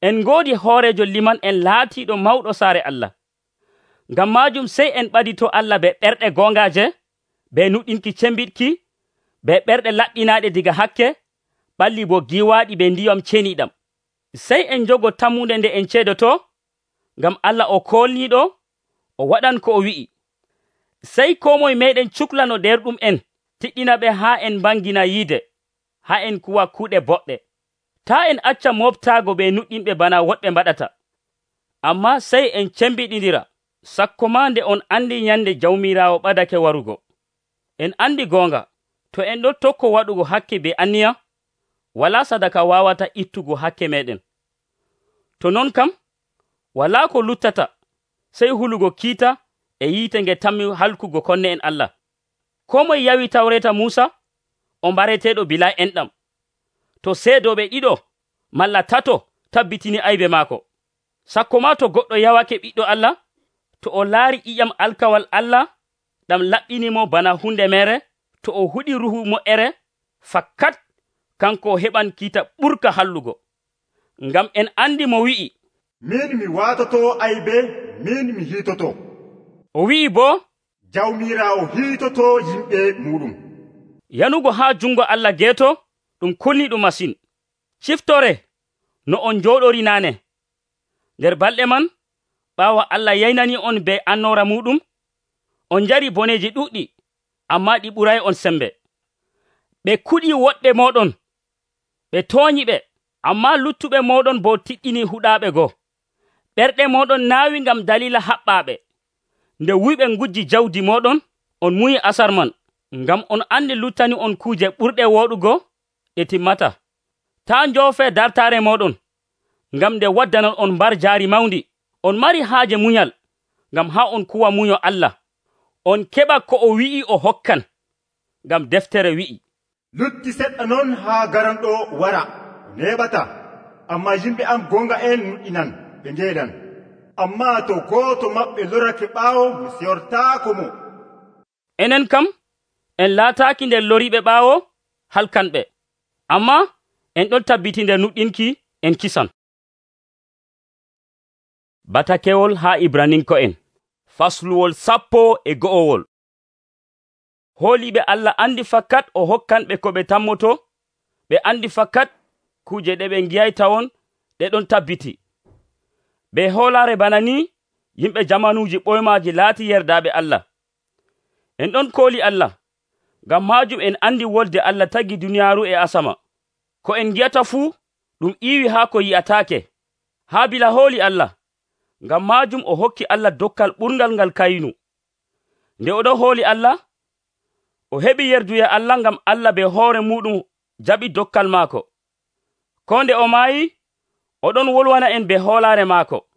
En ngoodi hoorejo liman en laatiiɗo mawɗo saare Allah. Ngam maajum sey en ɓadito Allah be ɓerɗe goongaaje, be nuɗɗinki cembiɗki, be ɓerɗe laɓɓinaaɗe diga hakke, ɓalli bo giwaaɗi be ndiyam ceniiɗam. Sey en jogo tammunde nde en ceedoto, ngam Allah o koolniiɗo, o waɗan ko o wi'i. Sey koo moye meeɗen cuklano derɗum en, tiɗɗina ɓe haa en mbangina yiide, haa en kuwa kuuɗe boɗɗe. Taa en acca moftaago be nuɗɗinɓe bana woɗɓe mbaɗata. Ammaa sey en cembiɗindira, sakko maa nde on andi nyande Jawmiraawo ɓadake warugo. En andi goonga, to en ɗon tokko waɗugo hakke be anniya, walaa sadaka waawata ittugo hakke meɗen. To non kam, walaa ko luttata, sey hulugo kiita e yiite nge tammi halkugo konne en Allah. Koo moye yawi Tawreeta Muusa, o mbareteeɗo bilaa enɗam. To seedooɓe ɗiɗo malla tato tabbitini aybe maako. Sakko maa to goɗɗo yawake ɓiɗɗo Allah, to o laari ƴiƴam alkawal Allah ɗam laɓɓinimo bana hunde mere, to o huɗi ruhu mo'ere, fakkat kanko heɓan kiita ɓurka hallugo. Ngam en andi mo wi'i, min mi waatoto aybe, min mi hiitoto. O wi'i boo, Jawmiraawo hiitoto yimɓe muɗum. Yanugo haa jungo Allah geeto ɗum kulniɗum masin. Ciftore no on jooɗori naane. Nder balɗe man, ɓaawo Allah yaynani on be annora muɗum, on njari boneji ɗuɗɗi, ammaa ɗi ɓuray on sembe. Ɓe kuɗi woɗɓe moɗon, ɓe tooñi ɓe, ammaa luttuɓe moɗon bo tiɗɗini huɗaaɓe goo. Ɓerɗe moɗon naawi ngam dalila haɓɓaaɓe. Nde wuyɓe ngujji jawdi moɗon, on muyi asar man, ngam on andi luttani on kuuje ɓurɗe woɗugo ɗe timmata. Taa njoofe dartaare moɗon, ngam nde waddanan on mbar jaari mawndi. On mari haaje munyal, ngam haa on kuwa munyo Allah. on keɓa ko o wi'i o hokkan, ngam deftere wi'i, lutti seɗɗa non haa garanɗo wara neɓata, amma yimɓe am gonga en nuɗɗinan ɓe ngeeɗan. Amma to gooto maɓɓe lorake ɓaawo mi seyortaako mo. Enen kam en laataaki nder loriɓe ɓaawo halkanɓe, amma en ɗon tabbiti nder nuɗɗinki en kisan. Batakewol haa Ibraninko'en fasluwol 11. Hooliɓe Allah andi fakat o hokkanɓe ko ɓe tammoto, ɓe andi fakat kuje ɗe ɓe ngiyaytawon ɗe ɗon tabbiti. Be hoolare bana ni yimɓe jamanuuji ɓoymaaji laati yerdaaɓe Allah. En ɗon kooli Allah, ngam maajum en andi wolde Allah tagi duniyaaru e asama. Ko en ngiyata fuu ɗum iiwi haa ko yi'ataake. Haabila hooli Allah, ngam maajum o hokki Allah dokkal ɓurngal ngal Kayinu. Nde oɗon hooli Allah, o heɓi yerduya Allah ngam Allah be hoore muɗum jaɓi dokkal maako. Ko nde o maayi, oɗon wolwana en be hoolaare maako.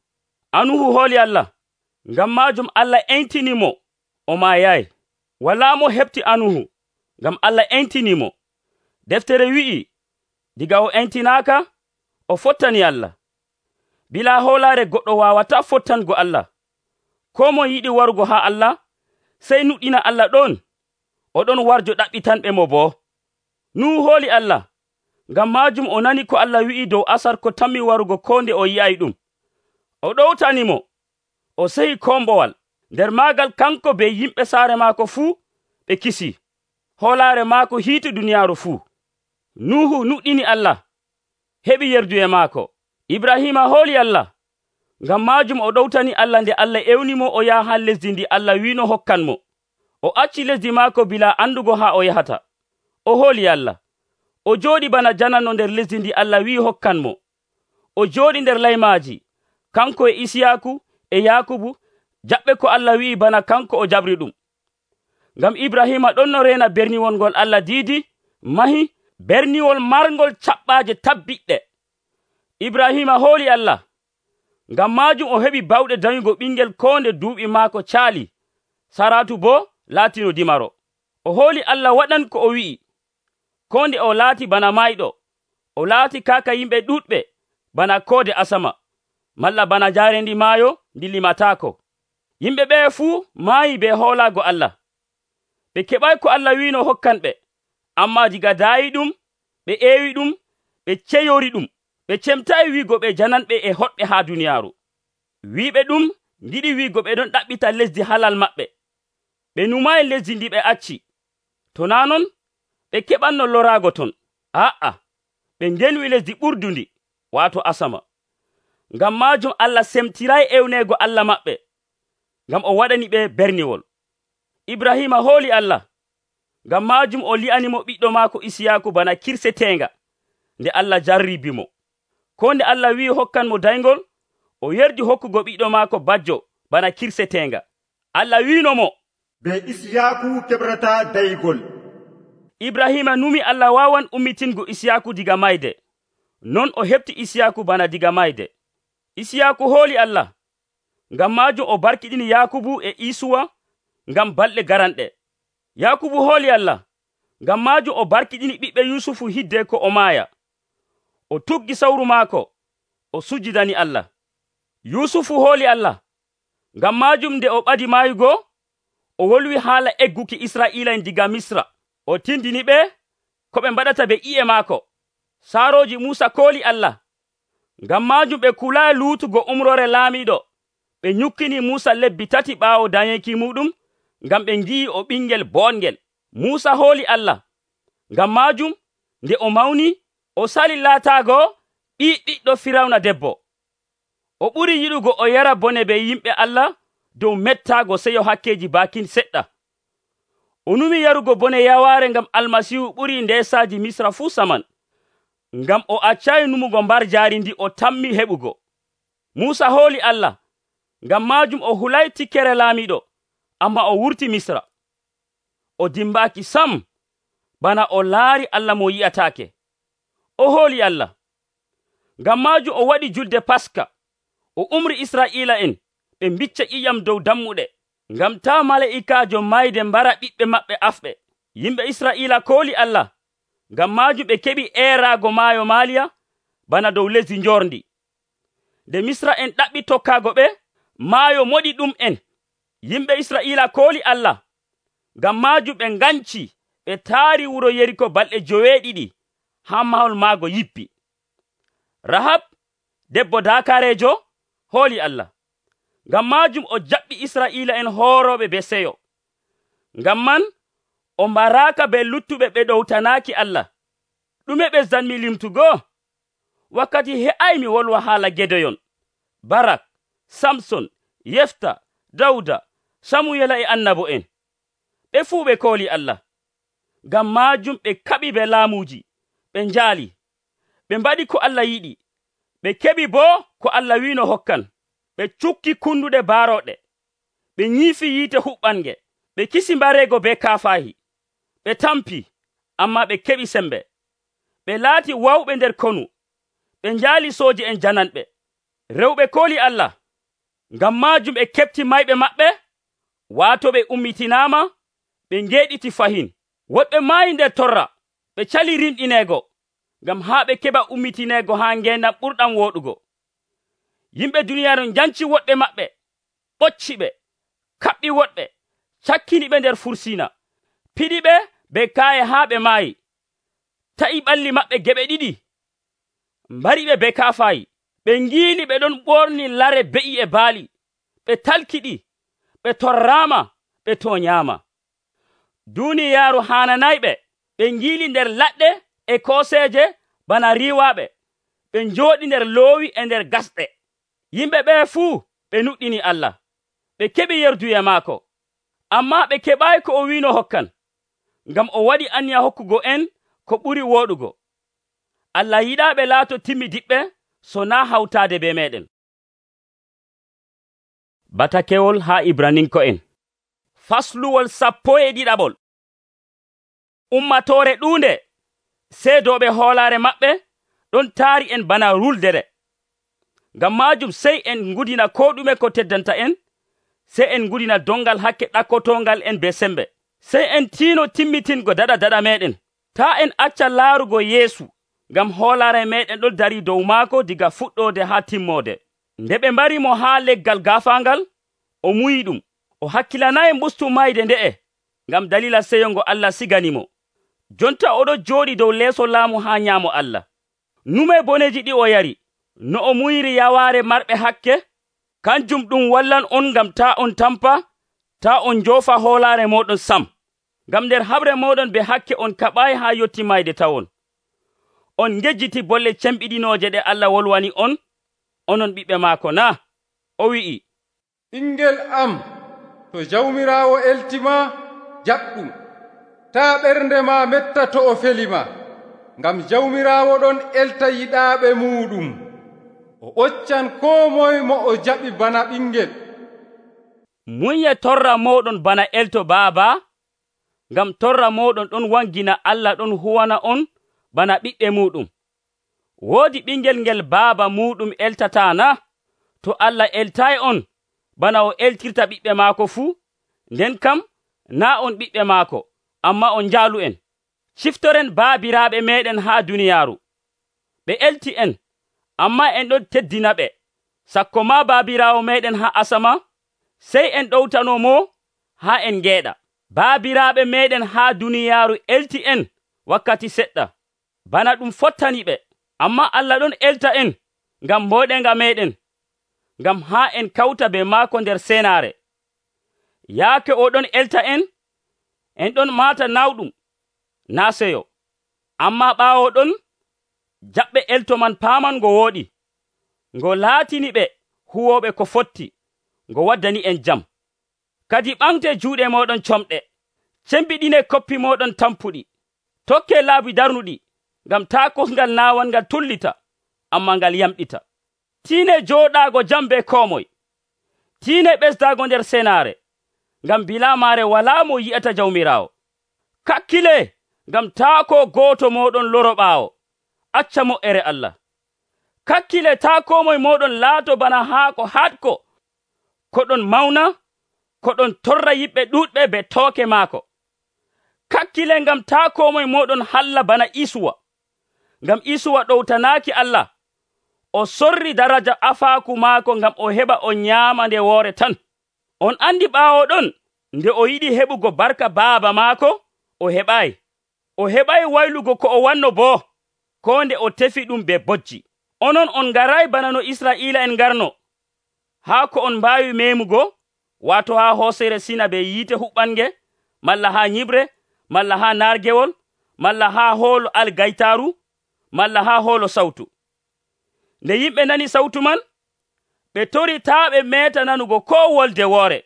Anuhu hooli Allah, ngam maajum Allah entinimo o maayayi. Walaa mo heɓti anuhu, ngam Allah entinimo. Deftere wi'i, diga o entinaaka, o fottani Allah. Bilaa hoolaare goɗɗo waawataa fottango Allah. Koo mo yiɗi warugo haa Allah, sey nuɗɗina Allah ɗon, oɗon warjo ɗaɓɓitanɓe mo boo. Nuhu hooli Allah, ngam maajum o nani ko Allah wi'i dow asar ko tammi warugo koo nde o yi'ay ɗum. O ɗowtanimo, o sehi kombowal. Nder maagal kanko be yimɓe saare maako fuu ɓe kisi. Hoolaare maako hiiti duniyaaru fuu. Nuhu nuɗɗini Allah, heɓi yerduye maako. Ibrahima hooli Allah, ngam maajum o ɗowtani Allah nde Allah ewnimo o yaha haa lesdi ndi Allah wiino hokkan mo. O acci lesdi maako bilaa andugo haa o yahata. O hooli Allah. O jooɗi bana jananno nder lesdi ndi Allah wi'i hokkan mo. O jooɗi nder laymaaji, kanko e Isiyaaku e Yakubu, jaɓɓe ko Allah wi'i bana kanko o jabri ɗum. Ngam Ibrahima ɗon no reena berniwol ngol Allah diidi, mahi, berniwol marngol caɓɓaaje tabbiɗɗe. Ibrahima hooli Allah, ngam maajum o heɓi bawɗe danyugo ɓingel ko nde duuɓi maako caali. Saratu boo laatino dimaro. O hooli Allah waɗan ko o wi'i. Ko nde o laati bana mayɗo, o laati kaaka yimɓe ɗuɗɓe bana koode asama, malla bana jaarendi maayo ndi limataako. Yimɓe ɓe fuu maayi be hoolaago Allah. Ɓe keɓay ko Allah wiino hokkanɓe, amma diga daayi ɗum, ɓe eewi ɗum, ɓe ceyori ɗum. Ɓe cemtayi wiigo ɓe jananɓe e hoɗɓe haa duniyaaru. Wiiɓe ɗum ngiɗi wiigo ɓe ɗon ɗaɓɓita lesdi halal maɓɓe. Ɓe numayi lesdi ndi ɓe acci. To naa non, ɓe keɓanno loraago ton. Aa, ɓe ndenwi lesdi ɓurdundi, waato asama. Ngam maajum Allah semtirayi ewneego Allah maɓɓe, ngam o waɗani ɓe berniwol. Ibrahima hooli Allah, ngam maajum o li'animo ɓiɗɗo maako Isiyaaku bana kirseteenga nde Allah jarribimo. Ko nde Allah wi'i hokkan mo dayngol, o yerdi hokkugo ɓiɗɗo maako bajjo bana kirseteenga. Allah wiino mo, be Isiyaaku keɓrata daygol. Ibrahima numi Allah waawan ummitingo Isiyaaku diga mayde. Non o heɓti Isiyaaku bana diga mayde. Isiyaaku hooli Allah, ngam maajum o barkiɗini Yakubu e Isuwa ngam balɗe garanɗe. Yakubu hooli Allah, ngam maajum o barkiɗini ɓiɓɓe Yusufu hidde ko o maaya. O tuggi sawru maako, o sujjidani Allah. Yusufu hooli Allah, ngam maajum nde o ɓadi maayugo, o wolwi haala egguki Israa'ila'en diga Misra. O tindini ɓe ko ɓe mbaɗata be i'e maako. Saarooji Muusa kooli Allah, ngam maajum ɓe kulaayi luutugo umrore laamiiɗo. Ɓe nyukkini Muusa lebbi 3 ɓaawo dañeki muɗum, ngam ɓe ngi'i o ɓingel boongel. Muusa hooli Allah, ngam maajum nde o mawni, o sali laataago ɓiɗɗo Firawna debbo. O ɓuri yiɗugo o yara bone be yimɓe Allah dow mettaago seyo hakkeji baakin seɗɗa. O numi yarugo bone yawaare ngam Almasihu ɓuri ndeesaaji Misra fuu saman. Ngam o accayi numugo mbar jaari ndi o tammi heɓugo. Muusa hooli Allah, ngam maajum o hulay tikkere laamiiɗo, amma o wurti Misra. O dimbaaki sam, bana o laari Allah mo yi'ataake. O hooli Allah, ngam maajum o waɗi julde Paska. O umri Israa'ila'en ɓe mbicca ƴiƴam dow dammuɗe. ngam taa mala'ikaajo mayde mbara ɓiɓɓe maɓɓe afɓe. Yimɓe Israa'iila kooli Allah, ngam maajum ɓe keɓi eeraago maayo Maaliya bana dow lesdi njorndi. Nde Misra'en ɗaɓɓi tokkaago ɓe, maayo moɗi ɗum'en. Yimɓe Israa'iila kooli Allah, ngam maajum ɓe nganci ɓe taari wuro Yeriko balɗe 7 haa mahol maago yippi. Rahab, debbo daakareejo, hooli Allah, ngam maajum o jaɓɓi Israa'iila'en hoorooɓe be seyo. Ngam man o mbaraaka be luttuɓe ɓe ɗowtanaaki Allah. Ɗume ɓesdanmi limtugo? Wakkati he'aymi wolwa haala Gedeyon, Barak, Samson, Yefta, Dawda, Samuyela e annabo'en. Ɓe fuu ɓe kooli Allah. Ngam maajum ɓe kaɓi be laamuuji, ɓe njaali, ɓe mbaɗi ko Allah yiɗi, ɓe keɓi boo ko Allah wiino hokkan. Ɓe cukki kunduɗe baarooɗe, ɓe nyiifi yiite huɓɓange, ɓe kisi mbareego be kaafaahi, ɓe tampi, ammaa ɓe keɓi sembe. Ɓe laati wawɓe nder konu, ɓe njaali sooji'en jananɓe. Rewɓe kooli Allah, ngam maajum ɓe keɓti mayɓe maɓɓe, waato ɓe ummitinaama, ɓe ngeeɗiti fahin. Woɗɓe maayi nder torra, ɓe cali rimɗineego, ngam haa ɓe keɓa ummitineego haa ngeendam ɓurɗam wooɗugo. Yimɓe duniyaaru njanci woɗɓe maɓɓe, ɓocci ɓe, kaɓɓi woɗɓe, cakkini ɓe nder fursiina, piɗi ɓe be kaaye haa ɓe maayi, ta'i ɓalli maɓɓe geɓe 2, mbari ɓe be kaafaayi. Ɓe ngiili ɓe ɗon ɓorni lare be'i e baali, ɓe talkiɗi, ɓe torraama, ɓe tooñaama. Duuniyaaru haananayɓe, ɓe ngiili nder laɗɗe e kooseeje bana riiwaaɓe, ɓe njooɗi nder loowi e nder gasɗe. Yimɓe ɓee fuu ɓe nuɗɗini Allah, ɓe keɓi yerduye maako, ammaa ɓe keɓaayi ko o wiino hokkan, ngam o waɗi aniya hokkugo en ko ɓuri wooɗugo. Allah yiɗaa ɓe laato timmidiɓɓe so naa hawtaade be meeɗen. Batakewol haa Ibraninko'en fasluwol 12. Ummatoore ɗuunde seedooɓe hoolaare maɓɓe ɗon taari en bana ruldere. Ngam maajum sey en ngudina ko ɗume ko teddanta en, sey en ngudina dongal hakke ɗakkotongal en be sembe, sey en tiino timmitingo daɗa meɗen. Taa en acca laarugo Yeesu, ngam hoolaare meɗen ɗon dari dow maako diga fuɗɗoode haa timmoode. Nde ɓe mbari mo haa leggal gaafaangal, o muyi ɗum. O hakkilanayi mbustu mayde nde'e, ngam dalila seyo ngo Allah siganimo. Jonta oɗo jooɗi dow leeso laamu haa nyaamo Allah. Nume boneji ɗi o yari, no o muyiri yawaare marɓe hakke? Kanjum ɗum wallan on ngam taa on tampa, taa on njoofa hoolaare moɗon sam. Ngam nder haɓre moɗon be hakke on kaɓaayi haa yotti mayde tawon. On ngejjiti bolle cembiɗinooje ɗe Allah wolwani on, onon ɓiɓɓe maako na? O wi'i, ɓingel am, to Jawmiraawo eltima, jaɓɗum. Taa ɓernde ma metta to o felima, ngam Jawmiraawo ɗon elta yiɗaaɓe muuɗum. O ɓoccan koo moye mo o jaɓi bana ɓingel. Munye torra moɗon bana elto baaba, ngam torra moɗon ɗon wangina Allah ɗon huwana on bana ɓiɓɓe muɗum. Woodi ɓingel ngel baaba muɗum eltata na? To Allah eltayi on bana o eltirta ɓiɓɓe maako fuu, nden kam naa on ɓiɓɓe maako, amma on njaalu'en. Ciftoren baabiraaɓe meɗen haa duniyaaru. Ɓe elti en, amma en ɗon teddina ɓe. Sakko ma baabiraawo meɗen haa asama, sey en ɗowtano mo haa en ngeeɗa. Baabiraaɓe meɗen haa duniyaaru elti en wakkati seɗɗa, bana ɗum fottani ɓe. Amma Allah ɗon elta en ngam mboɗenga meɗen, ngam haa en kawta be maako nder senaare. Yaake o ɗon elta en ɗon maata nawɗum, naa seyo. Amma ɓaawo ɗon, jaɓɓe elto man paaman ngo wooɗi, ngo laatini ɓe huwooɓe ko fotti, ngo waddani en jam. Kadi ɓamte juuɗe moɗon comɗe, cembiɗine koppi moɗon tampuɗi, tokke laabi darnuɗi, ngam taa kosngal naawal ngal tullita, amma ngal yamɗita. Tiine jooɗaago jam be koo moye, tiine ɓesdaago nder senaare, ngam bilaamaare walaa mo yi'ata Jawmiraawo. Kakkile, ngam taa ko gooto moɗon loro ɓaawo, acca mo'ere Allah. Kakkile taa koo moye moɗon laato bana haako hatko, ko ɗon mawna, ko ɗon torra yimɓe ɗuɗɓe be tooke maako. Kakkile ngam taa koo moye mooɗon halla bana Isuwa, ngam Isuwa ɗowtanaaki Allah. O sorri daraja afaaku maako ngam o heɓa o nyaama nde woore tan. On andi ɓaawo ɗon, nde o yiɗi heɓugo barka baaba maako, o heɓaayi. O heɓayi waylugo ko o wanno boo, koo nde o tefi ɗum be bojji. Onon on ngarayi bana no Israa'iila'en ngarno, haa ko on mbaawi meemugo, waato haa hoosere Sina be yiite huɓɓange, malla haa nyiɓre, malla haa naargewol, malla haa hoolo algaytaaru, malla haa hoolo sawtu. Nde yimɓe nani sawtu man, ɓe tori taa ɓe meeta nanugo koo wolde woore,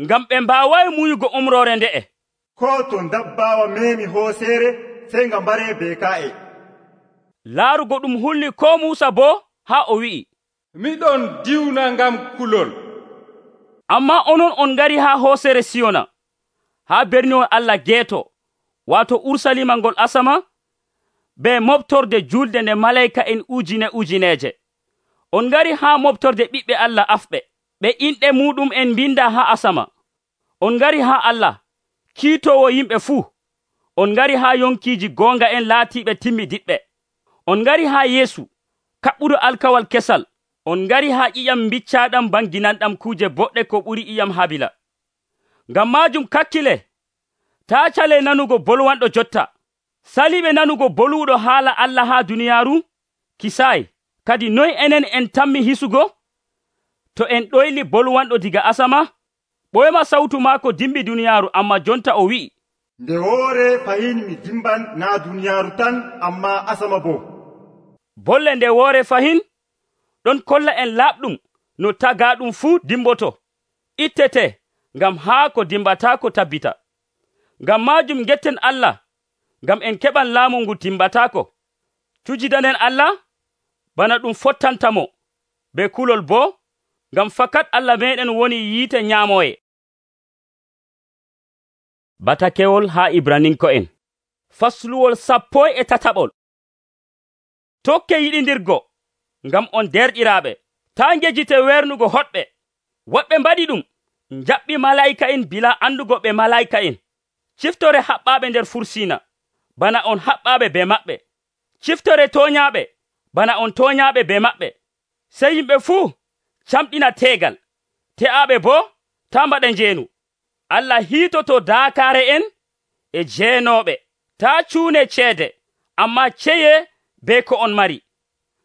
ngam ɓe mbaawayi muyugo umroore nde'e. Koo to dabbawa meemi hooseere, sey nga mbaree be ka'e. Laarugo ɗum hulni koo Muusa boo haa o wi'i, miɗon diwna ngam kulol. Ammaa onon on ngari haa hoosere Siyona, haa berniwol Allah geeto, waato Urusalima ngol asama, be moɓtorde julde nde malayika'en ujineje. On ngari haa moɓtorde ɓiɓɓe Allah afɓe, ɓe inɗe muɗum en mbinda haa asama. On ngari haa Allah, kiitowo yimɓe fuu. On ngari haa yonkiiji goonga en laatiiɓe timmidiɓɓe. On ngari haa Yeesu, kaɓɓuɗo alkawal kesal. On ngari haa ƴiƴam biccaaɗam banginanɗam kuuje boɗɗe ko ɓuri ƴiƴam Habila. Ngam maajum kakkile, taa cale nanugo bolwanɗo jotta. Saliɓe nanugo boluɗo haala Allah haa duniyaaru, kisaayi. Kadi noy enen en tammi hisugo? To en ɗoyli bolwanɗo diga asama, ɓoyma sawtu maako dimbi duniyaaru, amma jonta o wi'i, nde woore fahin mi dimban naa duniyaaru tan, amma asama boo. Bolle nde woore fahin ɗon kolla en laaɓɗum no tagaaɗum fuu dimboto, ittete, ngam haa ko dimbataako tabbita. Ngam maajum getten Allah, ngam en keɓan laamu ngu timbataako. Cujidanen Allah bana ɗum fottantamo, be kulol boo, ngam fakat Allah meɗen woni yiite nyaamoye. Batakewol haa Ibraninko'en fasluwol 17. Tokke yiɗindirgo, ngam on derɗiraaɓe, taa ngejjite wernugo hoɗɓe. Woɓɓe mbaɗi ɗum, njaɓɓi malayika'en bila andugo ɓe malayika'en. Ciftore haɓɓaaɓe nder fursiina, bana on haɓɓaaɓe be maɓɓe. Ciftore tooñaaɓe, bana on tooñaaɓe be maɓɓe. Sey yimɓe fuu camɗina teegal, te'aaɓe boo taa mbaɗa njeenu. Allah hiitoto daakaare en e jeenooɓe. Taa cuune ceede, ammaa ceye be ko on mari.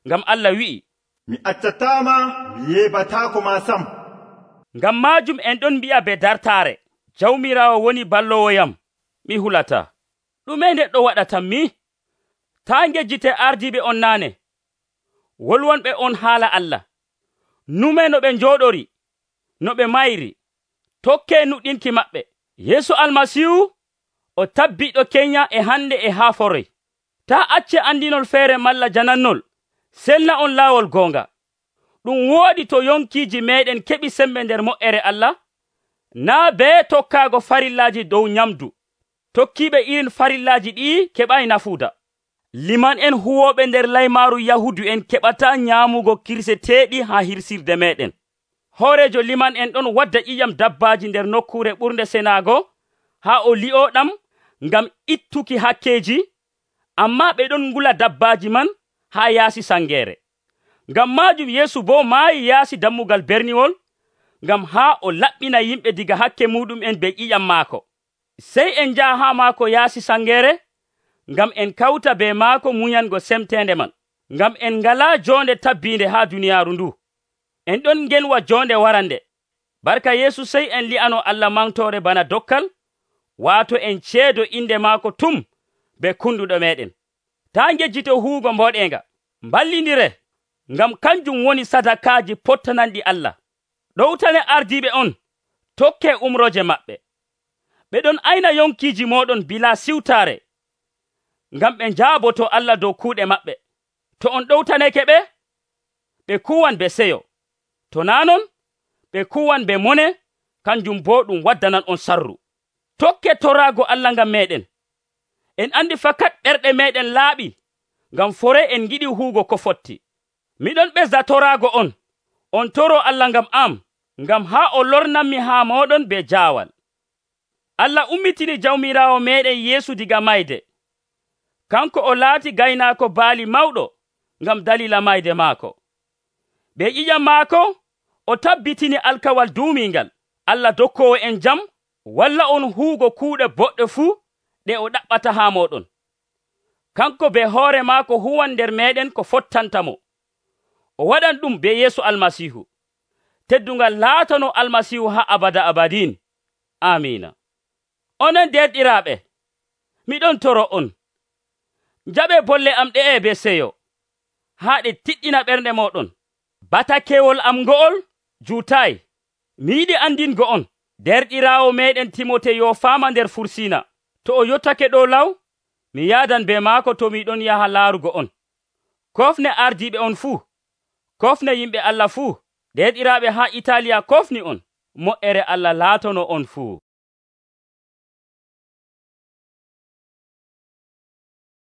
Ngam Allah wi'i, mi accataama, mi yeɓataako ma sam. Ngam maajum en ɗon mbi'a be dartaare, Jawmiraawo woni ballowoyam, mi hulata. Ɗume neɗɗo waɗatam mi? Taa ngejjite ardiiɓe on naane, wolwonɓe on haala Allah. Nume no ɓe njooɗori, no ɓe mayri, tokkee nuɗɗinki maɓɓe. Yeesu Almasiihu o tabbiɗo kenya e hande e haa forey. Taa acce andinol feere malla janannol, selna on laawol goonga. Ɗum wooɗi to yonkiiji meɗen keɓi sembe nder moƴƴere Allah, naa bee tokkaago farillaaji dow nyamdu. Tokkiiɓe irin farillaaji ɗi keɓayi nafuuda. Liman en huwooɓe nder laymaaru Yahudu en keɓataa nyaamugo kirseteeɗi haa hirsirde meɗen. Hoorejo liman en ɗon wadda ƴiƴam dabbaaji nder nokkuure ɓurnde senaago haa o li'ooɗam ngam ittuki hakkeeji, ammaa ɓe ɗon ngula dabbaaji man haa yaasi sangeere. Ngam maajum Yeesu boo maayi yaasi dammugal berniwol, ngam haa o laɓɓina yimɓe diga hakke muɗum en be ƴiƴam maako. Sey en njaha haa maako yaasi sangeere, ngam en kawta be maako muñango semteende man, ngam en ngalaa joonde tabbiinde haa duniyaaru ndu. En ɗon ngenwa joonde warande. Barka Yeesu sey en li'ano Allah mantoore bana dokkal, waato en ceedo inde maako tum be kunduɗo meɗen. Taa ngejjito huugo mboɗeenga. Mballindire, ngam kanjum woni sadakaaji pottananɗi Allah. Ɗowtane ardiiɓe on, tokkee umroje maɓɓe. Ɓe ɗon ayna yonkiiji mooɗon bilaa siwtaare, ngam ɓe njaaboto Allah dow kuuɗe maɓɓe. To on ɗowtaneke ɓe, ɓe kuwan be seyo. To naa non, ɓe kuwan be mone, kanjum boo ɗum waddanan on sarru. Tokke toraago Allah ngam meɗen. En andi fakat ɓerɗe meɗen laaɓi, ngam fore en giɗi huugo ko fotti. Miɗon ɓesda toraago on toro Allah ngam am, ngam haa o lornanmi haa moɗon be jaawal. Allah ummitini jawmiraawo meɗen Yeesu diga mayde. Kanko o laati gaynaako baali mawɗo ngam dalila mayde maako. Be ƴiƴam maako o tabbitini alkawal duumingal. Allah dokkoowo en jam walla on huugo kuuɗe boɗɗe fuu ɗe o ɗaɓɓata haa moɗon. Kanko be hoore maako huwan nder meɗen ko fottantamo. O waɗan ɗum be Yeesu Almasiihu. Teddungal laatano Almasiihu haa abada abadin. Amiina. Onon derɗiraaɓe, miɗon toro on. Njaɓe bolle am ɗe'e be seyo, haa ɗe tiɗɗina ɓernde moɗon. Batakewol am ngo'ol juutaay. Mi yiɗi andingo on, derɗiraawo meɗen Timote yo faama nder Fursiina. To o yottake ɗo law, mi yaadan be maako to miɗon yaha laarugo on. Kofne ardiiɓe on fuu, kofne yimɓe Allah fuu, derɗiraaɓe haa Itaaliya kofni on. Mo'ere Allah laatono on fuu.